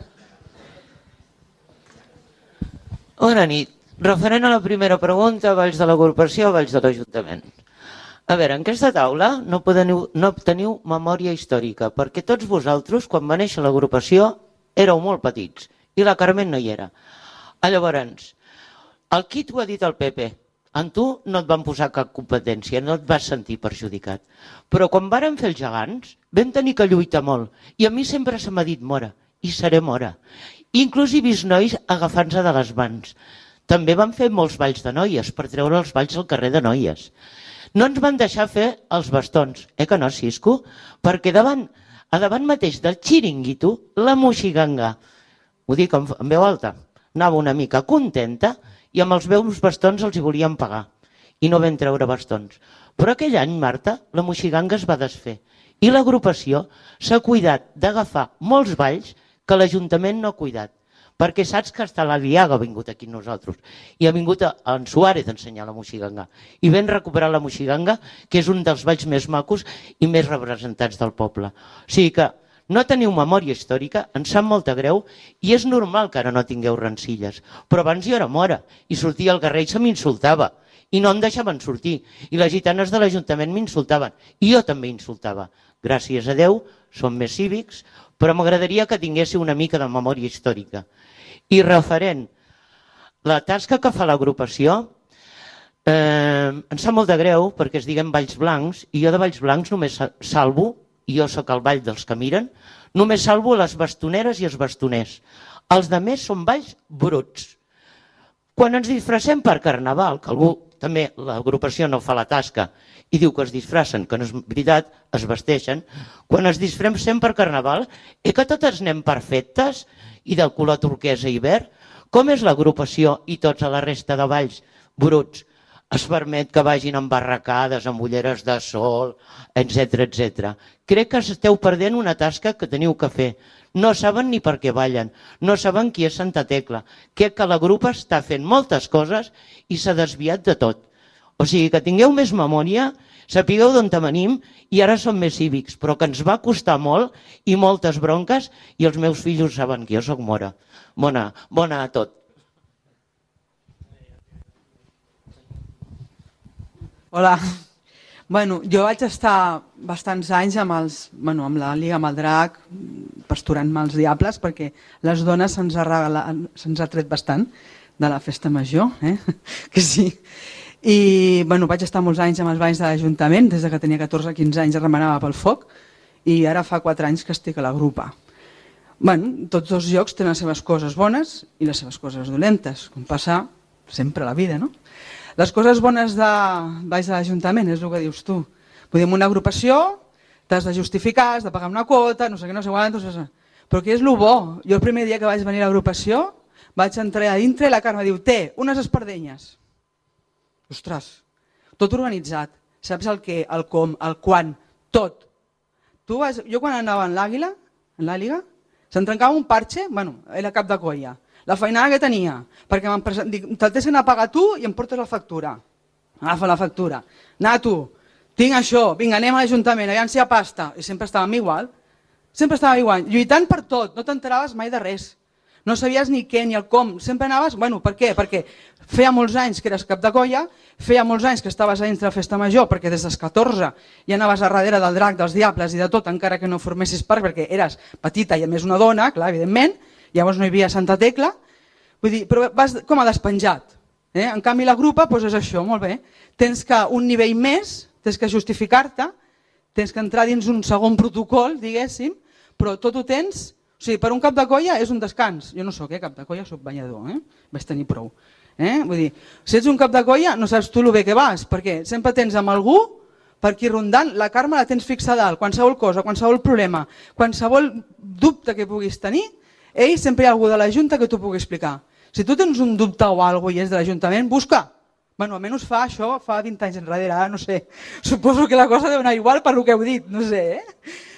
Bona nit. Referent a la primera pregunta, valls de l'agrupació o valls de l'Ajuntament? A veure, en aquesta taula no obteniu memòria històrica, perquè tots vosaltres, quan va néixer l'agrupació, éreu molt petits, i la Carmen no hi era. Llavors, el qui t'ho ha dit el Pepe? En tu no et van posar cap competència, no et vas sentir perjudicat. Però quan vàrem fer els gegants, vam tenir que lluitar molt. I a mi sempre se m'ha dit mora, i seré mora. Inclús he vist nois agafant-se de les mans. També vam fer molts balls de noies, per treure els balls al carrer de noies. No ens van deixar fer els bastons, que no, Cisco? Perquè a davant mateix del xiringuito, la moixiganga, ho dic en veu alta, anava una mica contenta, i amb els meus bastons els hi volien pagar. I no vam treure bastons. Però aquell any, Marta, la moixiganga es va desfer. I l'agrupació s'ha cuidat d'agafar molts balls que l'Ajuntament no ha cuidat. Perquè saps que hasta la Liaga ha vingut aquí nosaltres. I ha vingut en Suárez a ensenyar la moixiganga. I vam recuperar la moixiganga, que és un dels balls més macos i més representats del poble. O sigui que no teniu memòria històrica, ens sap molta greu i és normal que ara no tingueu rencilles. Però abans jo era mora i sortia al carrer i se m'insultava i no em deixaven sortir. I les gitanes de l'Ajuntament m'insultaven i jo també insultava. Gràcies a Déu, som més cívics, però m'agradaria que tinguéssiu una mica de memòria històrica. I referent la tasca que fa l'agrupació, em sap molt de greu perquè es diguen Valls Blancs i jo de Valls Blancs només salvo, i jo sóc el ball dels que miren, només salvo les bastoneres i els bastoners. Els altres són balls bruts. Quan ens disfressem per Carnaval, que algú també, l'agrupació no fa la tasca i diu que es disfressen, que no és veritat, es vesteixen, quan ens disfressem per Carnaval, que totes anem perfectes i del color turquesa i verd, com és l'agrupació i tots a la resta de balls bruts? Es permet que vagin amb barracades, amb ulleres de sol, etc. Crec que esteu perdent una tasca que teniu que fer. No saben ni per què ballen, no saben qui és Santa Tecla. Crec que la grupa està fent moltes coses i s'ha desviat de tot. O sigui, que tingueu més memòria, sapigueu d'on venim i ara som més cívics, però que ens va costar molt i moltes bronques i els meus fills saben que jo soc mora. Bona a tot. Hola. Jo vaig estar bastants anys amb la Lliga amb el Drac, pasturant-me els diables, perquè les dones se'ns ha tret bastant de la festa major, que sí. I vaig estar molts anys amb els balls de l'Ajuntament, des que tenia 14-15 anys remenava pel foc, i ara fa 4 anys que estic a la grupa. Tots dos llocs tenen les seves coses bones i les seves coses dolentes, com passa sempre a la vida, no? Les coses bones de balls de l'Ajuntament és el que dius tu. Vull dir, en una agrupació t'has de justificar, has de pagar una quota, no sé què, no sé quant, Però què és el bo? Jo el primer dia que vaig venir a l'agrupació vaig entrar a dintre i la Carme diu, unes espardenyes. Ostres, tot organitzat. Saps el què, el com, el quan, tot. Jo quan anava en l'Àliga, se'm trencava un parxe, era cap de colla. La feinada que tenia, perquè te'l tens d'anar a pagar tu i em portes la factura. Agafa la factura. Nato, tinc això, vinga, anem a l'Ajuntament, aviam si hi ha pasta. I sempre estàvem igual. Sempre estàvem igual, lluitant per tot, no t'enteraves mai de res. No sabies ni què ni el com, sempre anaves... Per què? Perquè feia molts anys que eres cap de colla, feia molts anys que estaves a dins de la festa major, perquè des dels 14 ja anaves a darrere del drac, dels diables i de tot, encara que no formessis part, perquè eres petita i a més una dona, clar, evidentment, llavors no hi havia Santa Tecla, vull dir, però vas com a despenjat. En canvi la grupa és això, molt bé, tens que un nivell més, tens que justificar-te, tens que entrar dins un segon protocol, diguéssim, però tot ho tens... O sigui, per un cap de colla és un descans. Jo no soc cap de colla, soc banyador, vaig tenir prou. Vull dir, si ets un cap de colla no saps tu el bé que vas, perquè sempre tens amb algú per aquí rondant, la Carme la tens fixa dalt, qualsevol cosa, qualsevol problema, qualsevol dubte que puguis tenir, sempre hi ha algú de la Junta que t'ho pugui explicar. Si tu tens un dubte o alguna cosa i és de l'Ajuntament, busca. Almenys fa això, fa 20 anys enrere, ara no sé, suposo que la cosa deu anar igual per el que heu dit, no sé.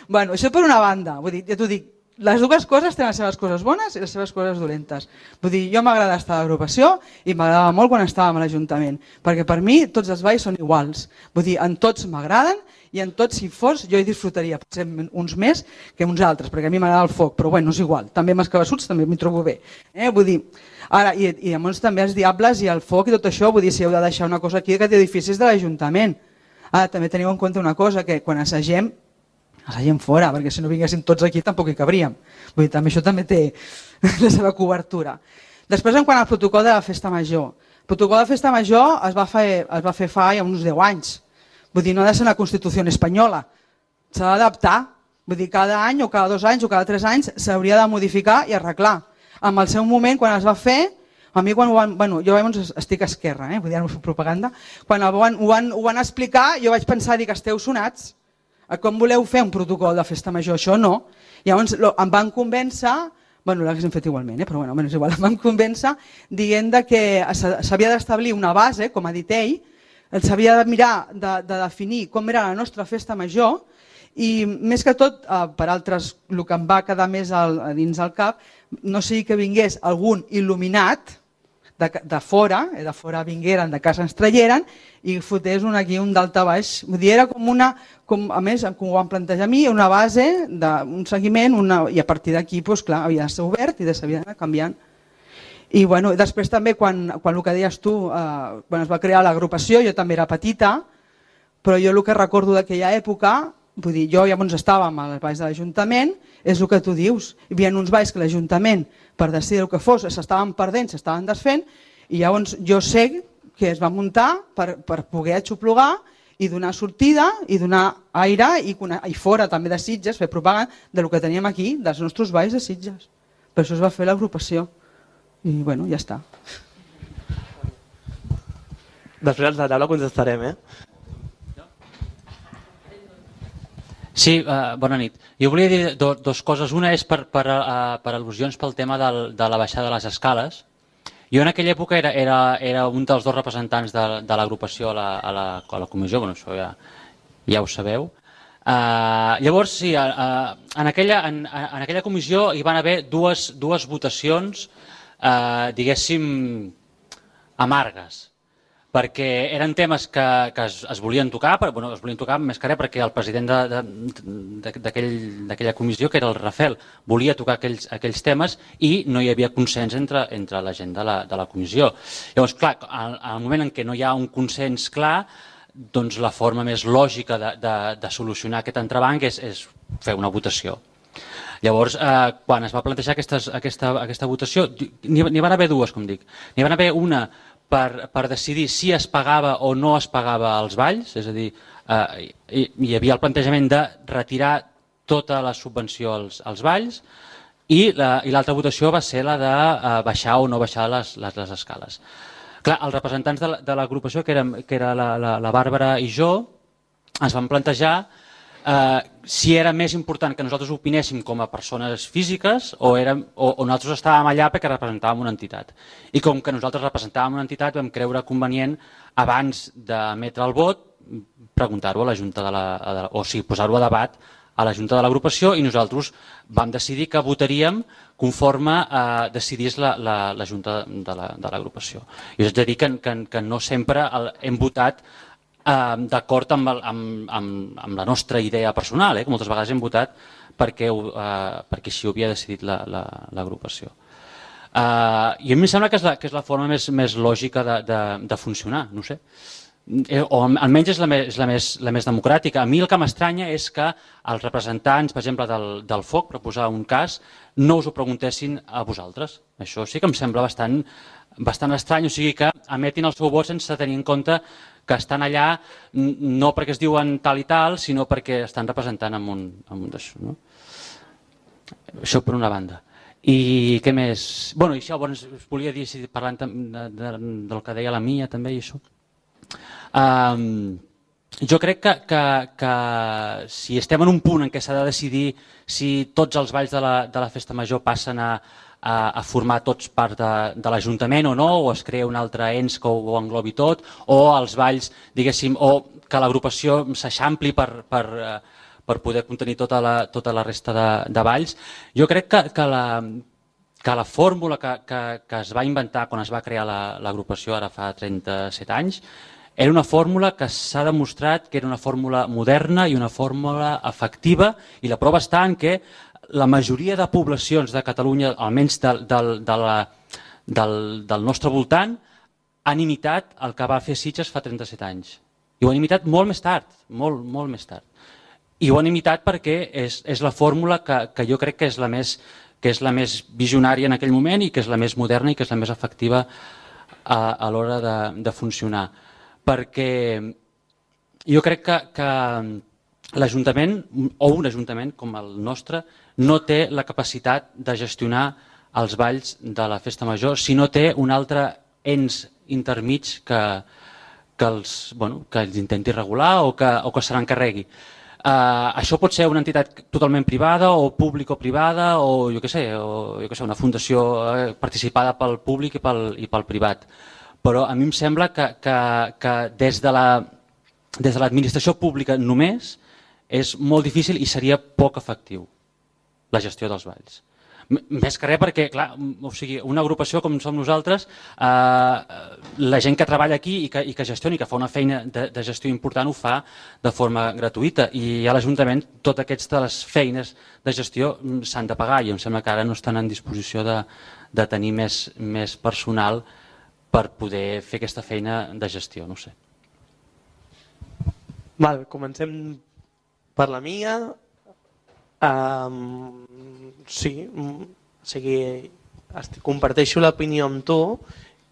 Això per una banda, vull dir, ja t'ho dic, les dues coses tenen les seves coses bones i les seves coses dolentes. Vull dir, jo m'agrada estar a l'agrupació i m'agradava molt quan estàvem a l'Ajuntament, perquè per mi tots els balls són iguals. Vull dir, en tots m'agraden i en tots, si fos, jo hi disfrutaria, potser uns més que uns altres, perquè a mi m'agrada el foc, però bueno, és igual. També amb els cabassuts també m'hi trobo bé. Vull dir, ara, i llavors també els diables i el foc i tot això, vull dir, si heu de deixar una cosa aquí, aquest edifici és de l'Ajuntament. Ara, també teniu en compte una cosa, que quan assagem fora, perquè si no vinguéssim tots aquí tampoc hi cabríem. Vull dir, també això també té la seva cobertura. Després, en quant al protocol de la festa major. El protocol de festa major es va fer fa ja uns 10 anys. Vull dir, no ha de ser una Constitució espanyola. S'ha d'adaptar. Vull dir, cada any o cada 2 anys o cada 3 anys s'hauria de modificar i arreglar. En el seu moment, quan es va fer, a mi quan ho van... jo estic a esquerra, vull dir, no fer propaganda. Quan ho van explicar, jo vaig pensar, dic, esteu sonats. Com voleu fer un protocol de festa major? Això no. Llavors em van convèncer, l'haguéssim fet igualment, però és igual, em van convèncer dient que s'havia d'establir una base, com ha dit ell, s'havia de mirar de definir com era la nostra festa major i més que tot, per altres, el que em va quedar més dins el cap, no sigui que vingués algun il·luminat de fora vingueren, de casa ens traieren i fotés aquí un d'alta baix. Vull dir, era a més, com ho van plantejar a mi, una base, un seguiment, i a partir d'aquí, clar, havia de ser obert i s'havia d'anar canviant. I després també, quan el que deies tu, quan es va crear l'agrupació, jo també era petita, però jo el que recordo d'aquella època, vull dir, jo llavors estàvem als balls de l'Ajuntament, és el que tu dius. Hi havia uns balls que l'Ajuntament, per decidir el que fos, s'estaven perdent, s'estaven desfent, i llavors jo sé que es va muntar per poder aixoplugar i donar sortida i donar aire i fora també de Sitges, fer propaganda del que teníem aquí, dels nostres balls de Sitges. Per això es va fer l'agrupació. I ja està. Després als de taula contestarem, Sí, bona nit. Jo volia dir dues coses. Una és per al·lusions pel tema de la baixada de les escales. Jo en aquella època era un dels 2 representants de l'agrupació a la comissió, això ja ho sabeu. Llavors, sí, en aquella comissió hi van haver dues votacions, diguéssim, amargues, perquè eren temes que es volien tocar, es volien tocar més que res perquè el president d'aquella comissió, que era el Rafel, volia tocar aquells temes i no hi havia consens entre la gent de la comissió. Llavors, clar, al moment en què no hi ha un consens clar, doncs la forma més lògica de solucionar aquest entrebanc és fer una votació. Llavors, quan es va plantejar aquesta votació, n'hi van haver dues, com dic. N'hi van haver una per decidir si es pagava o no es pagava als balls, és a dir, hi havia el plantejament de retirar tota la subvenció als balls i l'altra votació va ser la de baixar o no baixar les escales. Clar, els representants de l'agrupació, que era la Bàrbara i jo, es van plantejar si era més important que nosaltres opinéssim com a persones físiques o nosaltres estàvem allà perquè representàvem una entitat. I com que nosaltres representàvem una entitat vam creure convenient, abans d'emetre el vot, preguntar-ho a la Junta o sigui, posar-ho a debat a la Junta de l'agrupació, i nosaltres vam decidir que votaríem conforme decidís la Junta de l'agrupació. I us haig de dir que no sempre hem votat d'acord amb la nostra idea personal, que moltes vegades hem votat perquè així ho havia decidit l'agrupació. I a mi em sembla que és la forma més lògica de funcionar, no sé. O almenys és la més democràtica. A mi el que m'estranya és que els representants, per exemple, del FOC, per posar un cas, no us ho preguntessin a vosaltres. Això sí que em sembla bastant estrany, o sigui que emetin el seu vot sense tenir en compte que estan allà no perquè es diuen tal i tal, sinó perquè estan representant amb un d'això. No? Això per una banda. I què més? Bueno, i això, us volia dir, parlant del que deia la Mia també i això. Jo crec que si estem en un punt en què s'ha de decidir si tots els balls de la festa major passen a formar tots part de l'Ajuntament o no, o es crea un altre ens que ho englobi tot, o els balls, diguéssim, o que l'agrupació s'eixampli per poder contenir tota la resta de balls. Jo crec que la fórmula que es va inventar quan es va crear l'agrupació ara fa 37 anys era una fórmula que s'ha demostrat que era una fórmula moderna i una fórmula efectiva, i la prova està en que la majoria de poblacions de Catalunya, almenys del nostre voltant, han imitat el que va fer Sitges fa 37 anys. I ho han imitat molt més tard, molt més tard. I ho han imitat perquè és la fórmula que jo crec que és la més visionària en aquell moment i que és la més moderna i que és la més efectiva a l'hora de funcionar. Perquè jo crec que l'Ajuntament, o un Ajuntament com el nostre, no té la capacitat de gestionar els balls de la festa major si no té un altre ens intermig que els intenti regular o que se n'encarregui. Això pot ser una entitat totalment privada o público-privada o jo què sé, una fundació participada pel públic i pel privat. Però a mi em sembla que des de l'administració pública només és molt difícil i seria poc efectiu la gestió dels balls. Més que res perquè, clar, una agrupació com som nosaltres, la gent que treballa aquí i que gestiona i que fa una feina de gestió important ho fa de forma gratuïta, i a l'Ajuntament totes aquestes feines de gestió s'han de pagar, i em sembla que ara no estan en disposició de tenir més personal per poder fer aquesta feina de gestió, no sé. Comencem per la Mia. Sí, comparteixo l'opinió amb tu,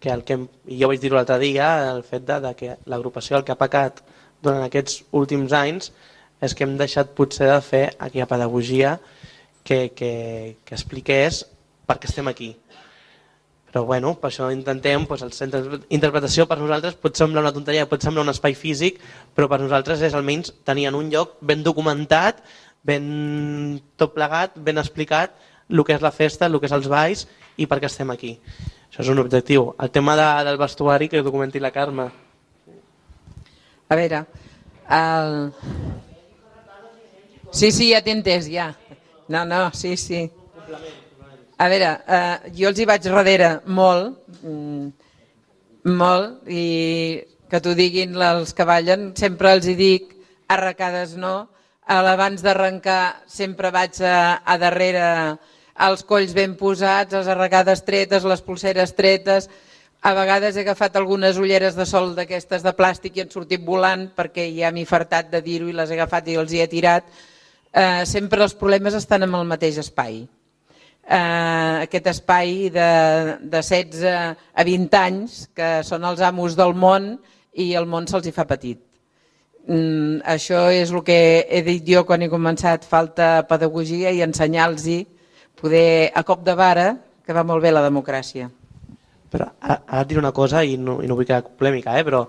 que jo vaig dir-ho l'altre dia, el fet que l'agrupació el que ha pecat durant aquests últims anys és que hem deixat potser de fer aquella pedagogia que expliqués per què estem aquí. Però bueno, per això intentem, els centres d'interpretació per nosaltres pot semblar una tonteria, pot semblar un espai físic, però per nosaltres és almenys tenir en un lloc ben documentat, ben tot plegat, ben explicat el que és la festa, el que és els balls i per què estem aquí. Això és un objectiu. El tema del vestuari que documenti la Carme. A veure, sí, ja t'he entès, ja. No, sí. A veure, jo els hi vaig darrere molt, i que t'ho diguin els que ballen, sempre els hi dic, arracades no, abans d'arrencar sempre vaig a darrere els colls ben posats, les arracades tretes, les polseres tretes, a vegades he agafat algunes ulleres de sol d'aquestes de plàstic i han sortit volant perquè ja m'he fartat de dir-ho i les he agafat i els hi he tirat. Sempre els problemes estan en el mateix espai. Aquest espai de 16 a 20 anys que són els amos del món i el món se'ls hi fa petit. Això és el que he dit jo quan he començat, falta pedagogia i ensenyar-los poder a cop de vara, que va molt bé la democràcia. Però ara et diré una cosa i no vull quedar polèmica, però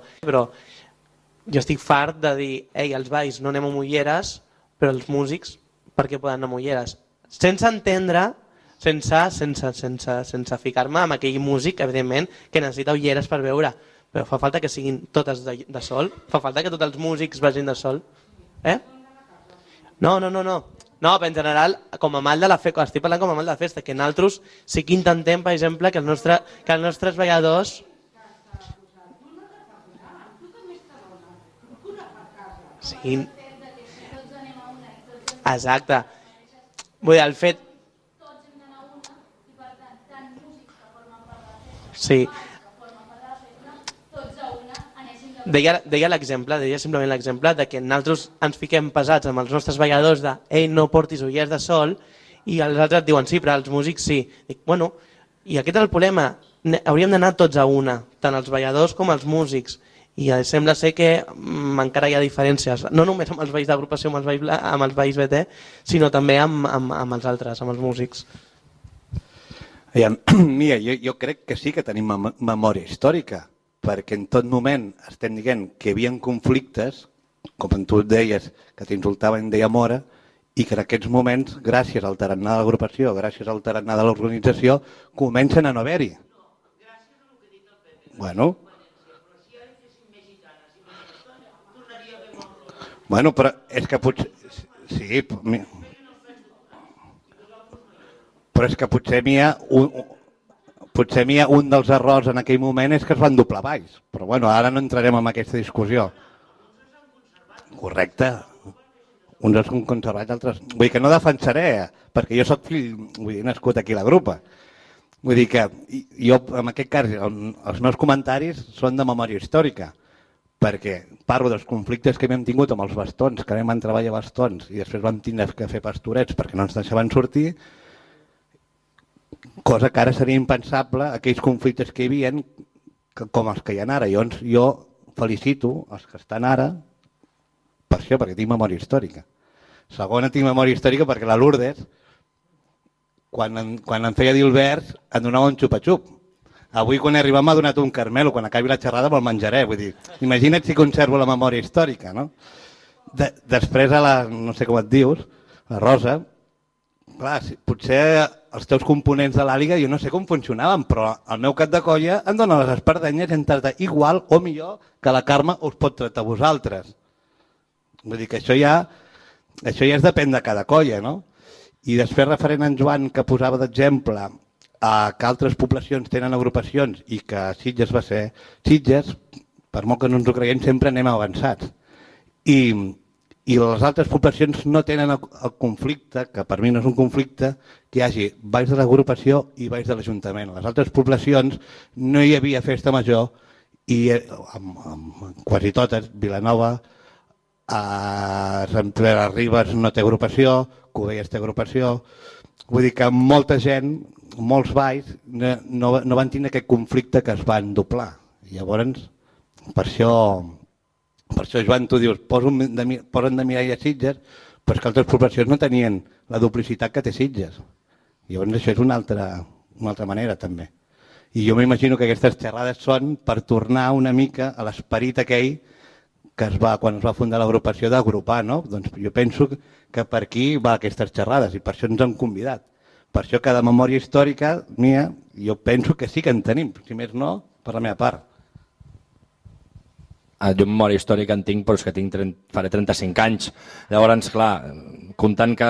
jo estic fart de dir els balls no anem amb ulleres però els músics per què poden anar amb ulleres? Sense entendre, sense ficar-me amb aquell músic, evidentment, que necessita ulleres per veure, però fa falta que siguin totes de sol, fa falta que tots els músics vagin de sol. No, però en general, com a mal de la festa, estic parlant com a mal de la festa, que nosaltres sí que intentem, per exemple, que els nostres balladors... Sí. Exacte. Vull dir, el fet... Sí. Deia l'exemple, deia simplement l'exemple de que nosaltres ens fiquem pesats amb els nostres balladors de «Ei, no portis ulleres de sol» i els altres diuen «Sí, però els músics sí». Dic, bueno, i aquest és el problema. Hauríem d'anar tots a una, tant els balladors com els músics. I sembla ser que encara hi ha diferències, no només amb els balls d'agrupació, amb els balls BT, sinó també amb els altres, amb els músics. Mira, jo crec que sí que tenim memòria històrica, perquè en tot moment estem dient que hi havia conflictes, com tu deies, que t'insultaven deia mora, i que en aquests moments, gràcies al tarannà de l'agrupació, gràcies al tarannà de l'organització, comencen a no haver-hi. Bueno, però és que potser... Sí, però és que potser n'hi ha un dels errors en aquell moment és que es van doblar balls. Però bueno, ara no entrarem en aquesta discussió. Correcte. Uns són conservats, altres... Vull dir que no defensaré, perquè jo soc fill, nascut aquí a la grupa. Vull dir que jo, en aquest cas, els meus comentaris són de memòria històrica, perquè parlo dels conflictes que hem tingut amb els bastons, que vam treballar bastons i després vam tindre que fer pastorets perquè no ens deixaven sortir, cosa que ara seria impensable, aquells conflictes que hi havia com els que hi ha ara. Jo felicito els que estan ara per això, perquè tinc memòria històrica. Segona, tinc memòria històrica perquè la Lourdes, quan em feia dir el vers, em donava un xupa-xup. Avui, quan he arribat, m'ha donat un caramel, quan acabi la xerrada me'l menjaré. Vull dir, imagina't si conservo la memòria històrica, no? Després, no sé com et dius, la Rosa, clar, potser els teus components de l'àliga jo no sé com funcionaven, però el meu cap de colla em dona les espardenyes i em tracta igual o millor que la Carme us pot tractar a vosaltres. Vull dir que això ja es depèn de cada colla, no? I després, referent a en Joan, que posava d'exemple que altres poblacions tenen agrupacions i que Sitges va ser Sitges, per molt que no ens ho creiem, sempre anem avançats. I les altres poblacions no tenen el conflicte, que per mi no és un conflicte, que hi hagi balls de l'agrupació i balls de l'Ajuntament. A les altres poblacions no hi havia festa major i quasi totes, Vilanova, Sant Pere de Ribes no té agrupació, Cubelles té agrupació. Vull dir que molta gent, molts balls, no van tenir aquest conflicte que es van doblar. Llavors, per això, Joan, tu dius, posen de Mireia Sitges, però que altres poblacions no tenien la duplicitat que té Sitges. Llavors això és una altra manera també. I jo m'imagino que aquestes xerrades són per tornar una mica a l'esperit aquell que quan es va fundar l'agrupació d'agrupar, no? Doncs jo penso que per aquí va aquestes xerrades i per això ens han convidat. Per això cada memòria històrica mia, jo penso que sí que en tenim, si més no, per la meva part. Jo memòria històrica en tinc, però és que faré 35 anys. Llavors, clar, comptant que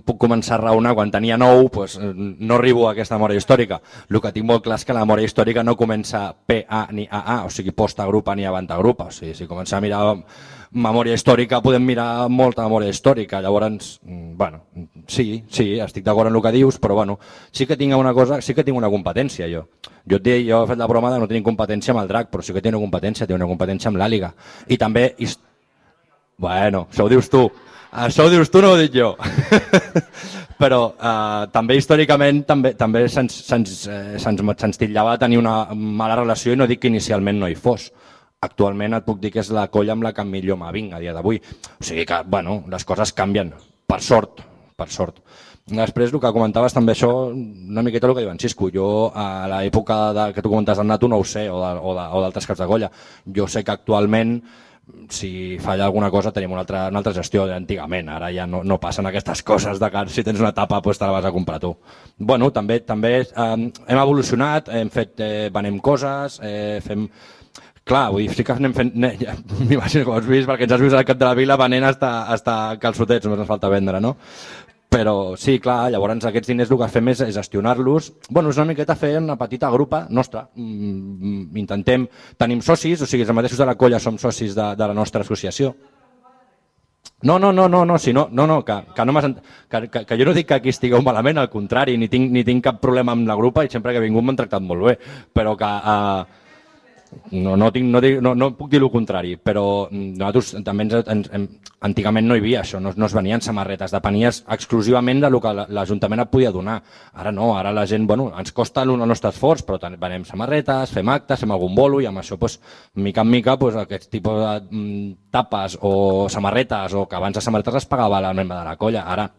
puc començar a raonar quan tenia 9, doncs no arribo a aquesta memòria històrica. El que tinc molt clar és que la memòria històrica no comença PA ni AA, o sigui, post-agrupa ni avant-agrupa. O sigui, si comença a mirar memòria històrica, podem mirar molta memòria històrica. Llavors, bueno, sí, estic d'acord amb el que dius, però bueno, sí que tinc una cosa, sí que tinc una competència jo. Jo he fet la broma de no tenir competència amb el drac, però sí que tinc una competència amb l'àliga. I també... Bueno, això ho dius tu. Això ho dius tu, no ho dic jo. Però també històricament també se'ns titllava de tenir una mala relació i no dic que inicialment no hi fos. Actualment et puc dir que és la colla amb la que millor m'avinc a dia d'avui. O sigui que, bueno, les coses canvien, per sort. Després, el que comentaves també això, una miqueta el que diu en Cisco. Jo, a l'època que tu comentes del Nato, no ho sé, o d'altres caps de colla. Jo sé que actualment si falla alguna cosa tenim una altra gestió d'antigament, ara ja no passen aquestes coses de que si tens una tapa pues te la vas a comprar tu. Bueno, també hem evolucionat, venem coses, fem... Clar, vull dir, sí que anem fent... M'imagino que ho has vist, perquè ens has vist al cap de la vila venent hasta calçotets, només ens falta vendre, no? Però sí, clar, llavors aquests diners el que fem és gestionar-los. Bueno, és una miqueta fer una petita grupa nostra. Tenim socis, o sigui, els mateixos de la colla som socis de la nostra associació. No, que jo no dic que aquí estigueu malament, al contrari, ni tinc cap problema amb la grupa i sempre que he vingut m'han tractat molt bé, però que... No puc dir el contrari, però nosaltres també antigament no hi havia això, no es venien samarretes, depenies exclusivament del que l'Ajuntament et podia donar. Ara no, ara la gent, ens costa el nostre esforç, però venem samarretes, fem actes, fem algun bolo i amb això, mica en mica, aquest tipus de tapes o samarretes, o que abans les samarretes les pagava la membre de la colla, ara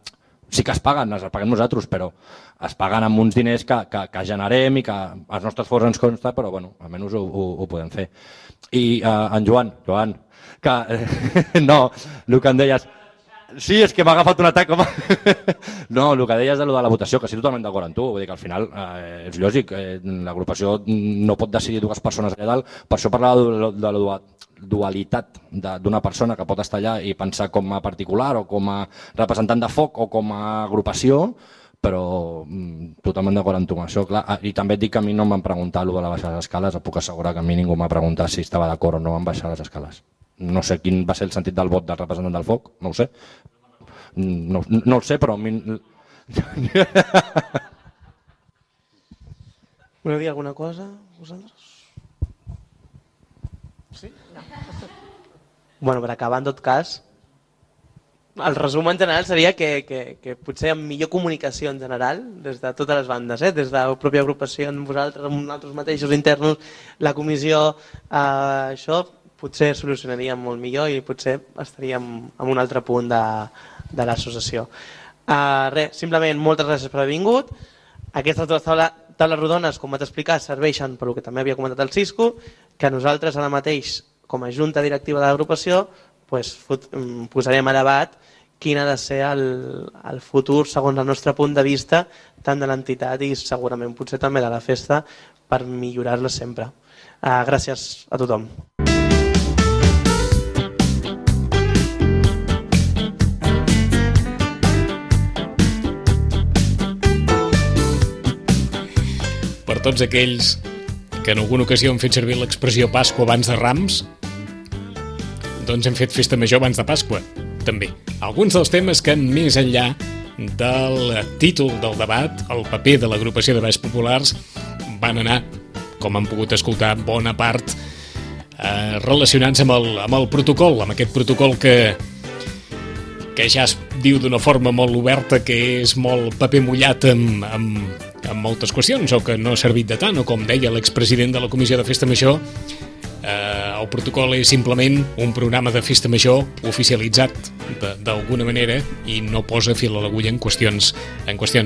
sí que es paguen nosaltres, però es paguen amb uns diners que generem i que els nostres esforç ens consta, però almenys ho podem fer. I en Joan, que no, el que em deies... Sí, és que m'ha agafat un atac. No, el que deies de la votació, que estic totalment d'acord amb tu, vull dir que al final és lògic, l'agrupació no pot decidir dues persones allà dalt, per això parlava de la dualitat d'una persona que pot estar allà i pensar com a particular o com a representant de foc o com a agrupació, però totalment d'acord amb tu amb això. I també et dic que a mi no em van preguntar el de la baixar les escales, et puc assegurar que a mi ningú m'ha preguntat si estava d'acord o no en baixar les escales. No sé quin va ser el sentit del vot del representant del foc, no ho sé. No el sé, però a mi... Voleu dir alguna cosa, vosaltres? Sí? No. Bueno, per acabar, en tot cas, el resum en general seria que potser amb millor comunicació en general, des de totes les bandes, des de la pròpia agrupació, amb vosaltres, amb nosaltres mateixos internos, la comissió, això potser solucionaríem molt millor i potser estaríem en un altre punt de l'associació. Simplement, moltes gràcies per haver vingut. Aquestes dues taules rodones, com vaig explicar, serveixen per el que també havia comentat el Cisco, que nosaltres ara mateix, com a junta directiva de l'agrupació, posarem a debat quin ha de ser el futur segons el nostre punt de vista, tant de l'entitat i segurament potser també de la festa, per millorar-la sempre. Gràcies a tothom. Per tots aquells que en alguna ocasió han fet servir l'expressió Pasqua abans de Rams, doncs hem fet festa major abans de Pasqua, també. Alguns dels temes que, més enllà del títol del debat, el paper de l'agrupació de balls populars, van anar, com han pogut escoltar, bona part relacionats amb el protocol, amb aquest protocol que ja es diu d'una forma molt oberta que és molt paper mullat amb moltes qüestions, o que no ha servit de tant, o com deia l'expresident de la Comissió de Festa Major, el protocol és simplement un programa de festa major oficialitzat d'alguna manera i no posa fil a l'agulla en qüestions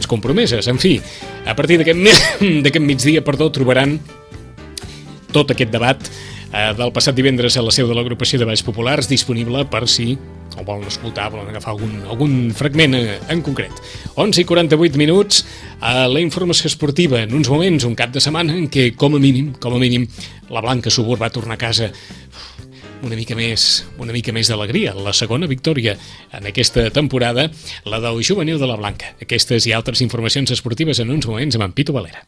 compromeses. En fi, a partir d'aquest migdia, trobaran tot aquest debat del passat divendres a la seu de l'agrupació de balls populars disponible per si o volen escoltar, volen agafar algun fragment en concret. 11:48 minuts a la informació esportiva. En uns moments, un cap de setmana en què, com a mínim, la Blanca Subur va tornar a casa una mica més d'alegria. La segona victòria en aquesta temporada, la del juvenil de la Blanca. Aquestes i altres informacions esportives en uns moments amb en Pitu Valera.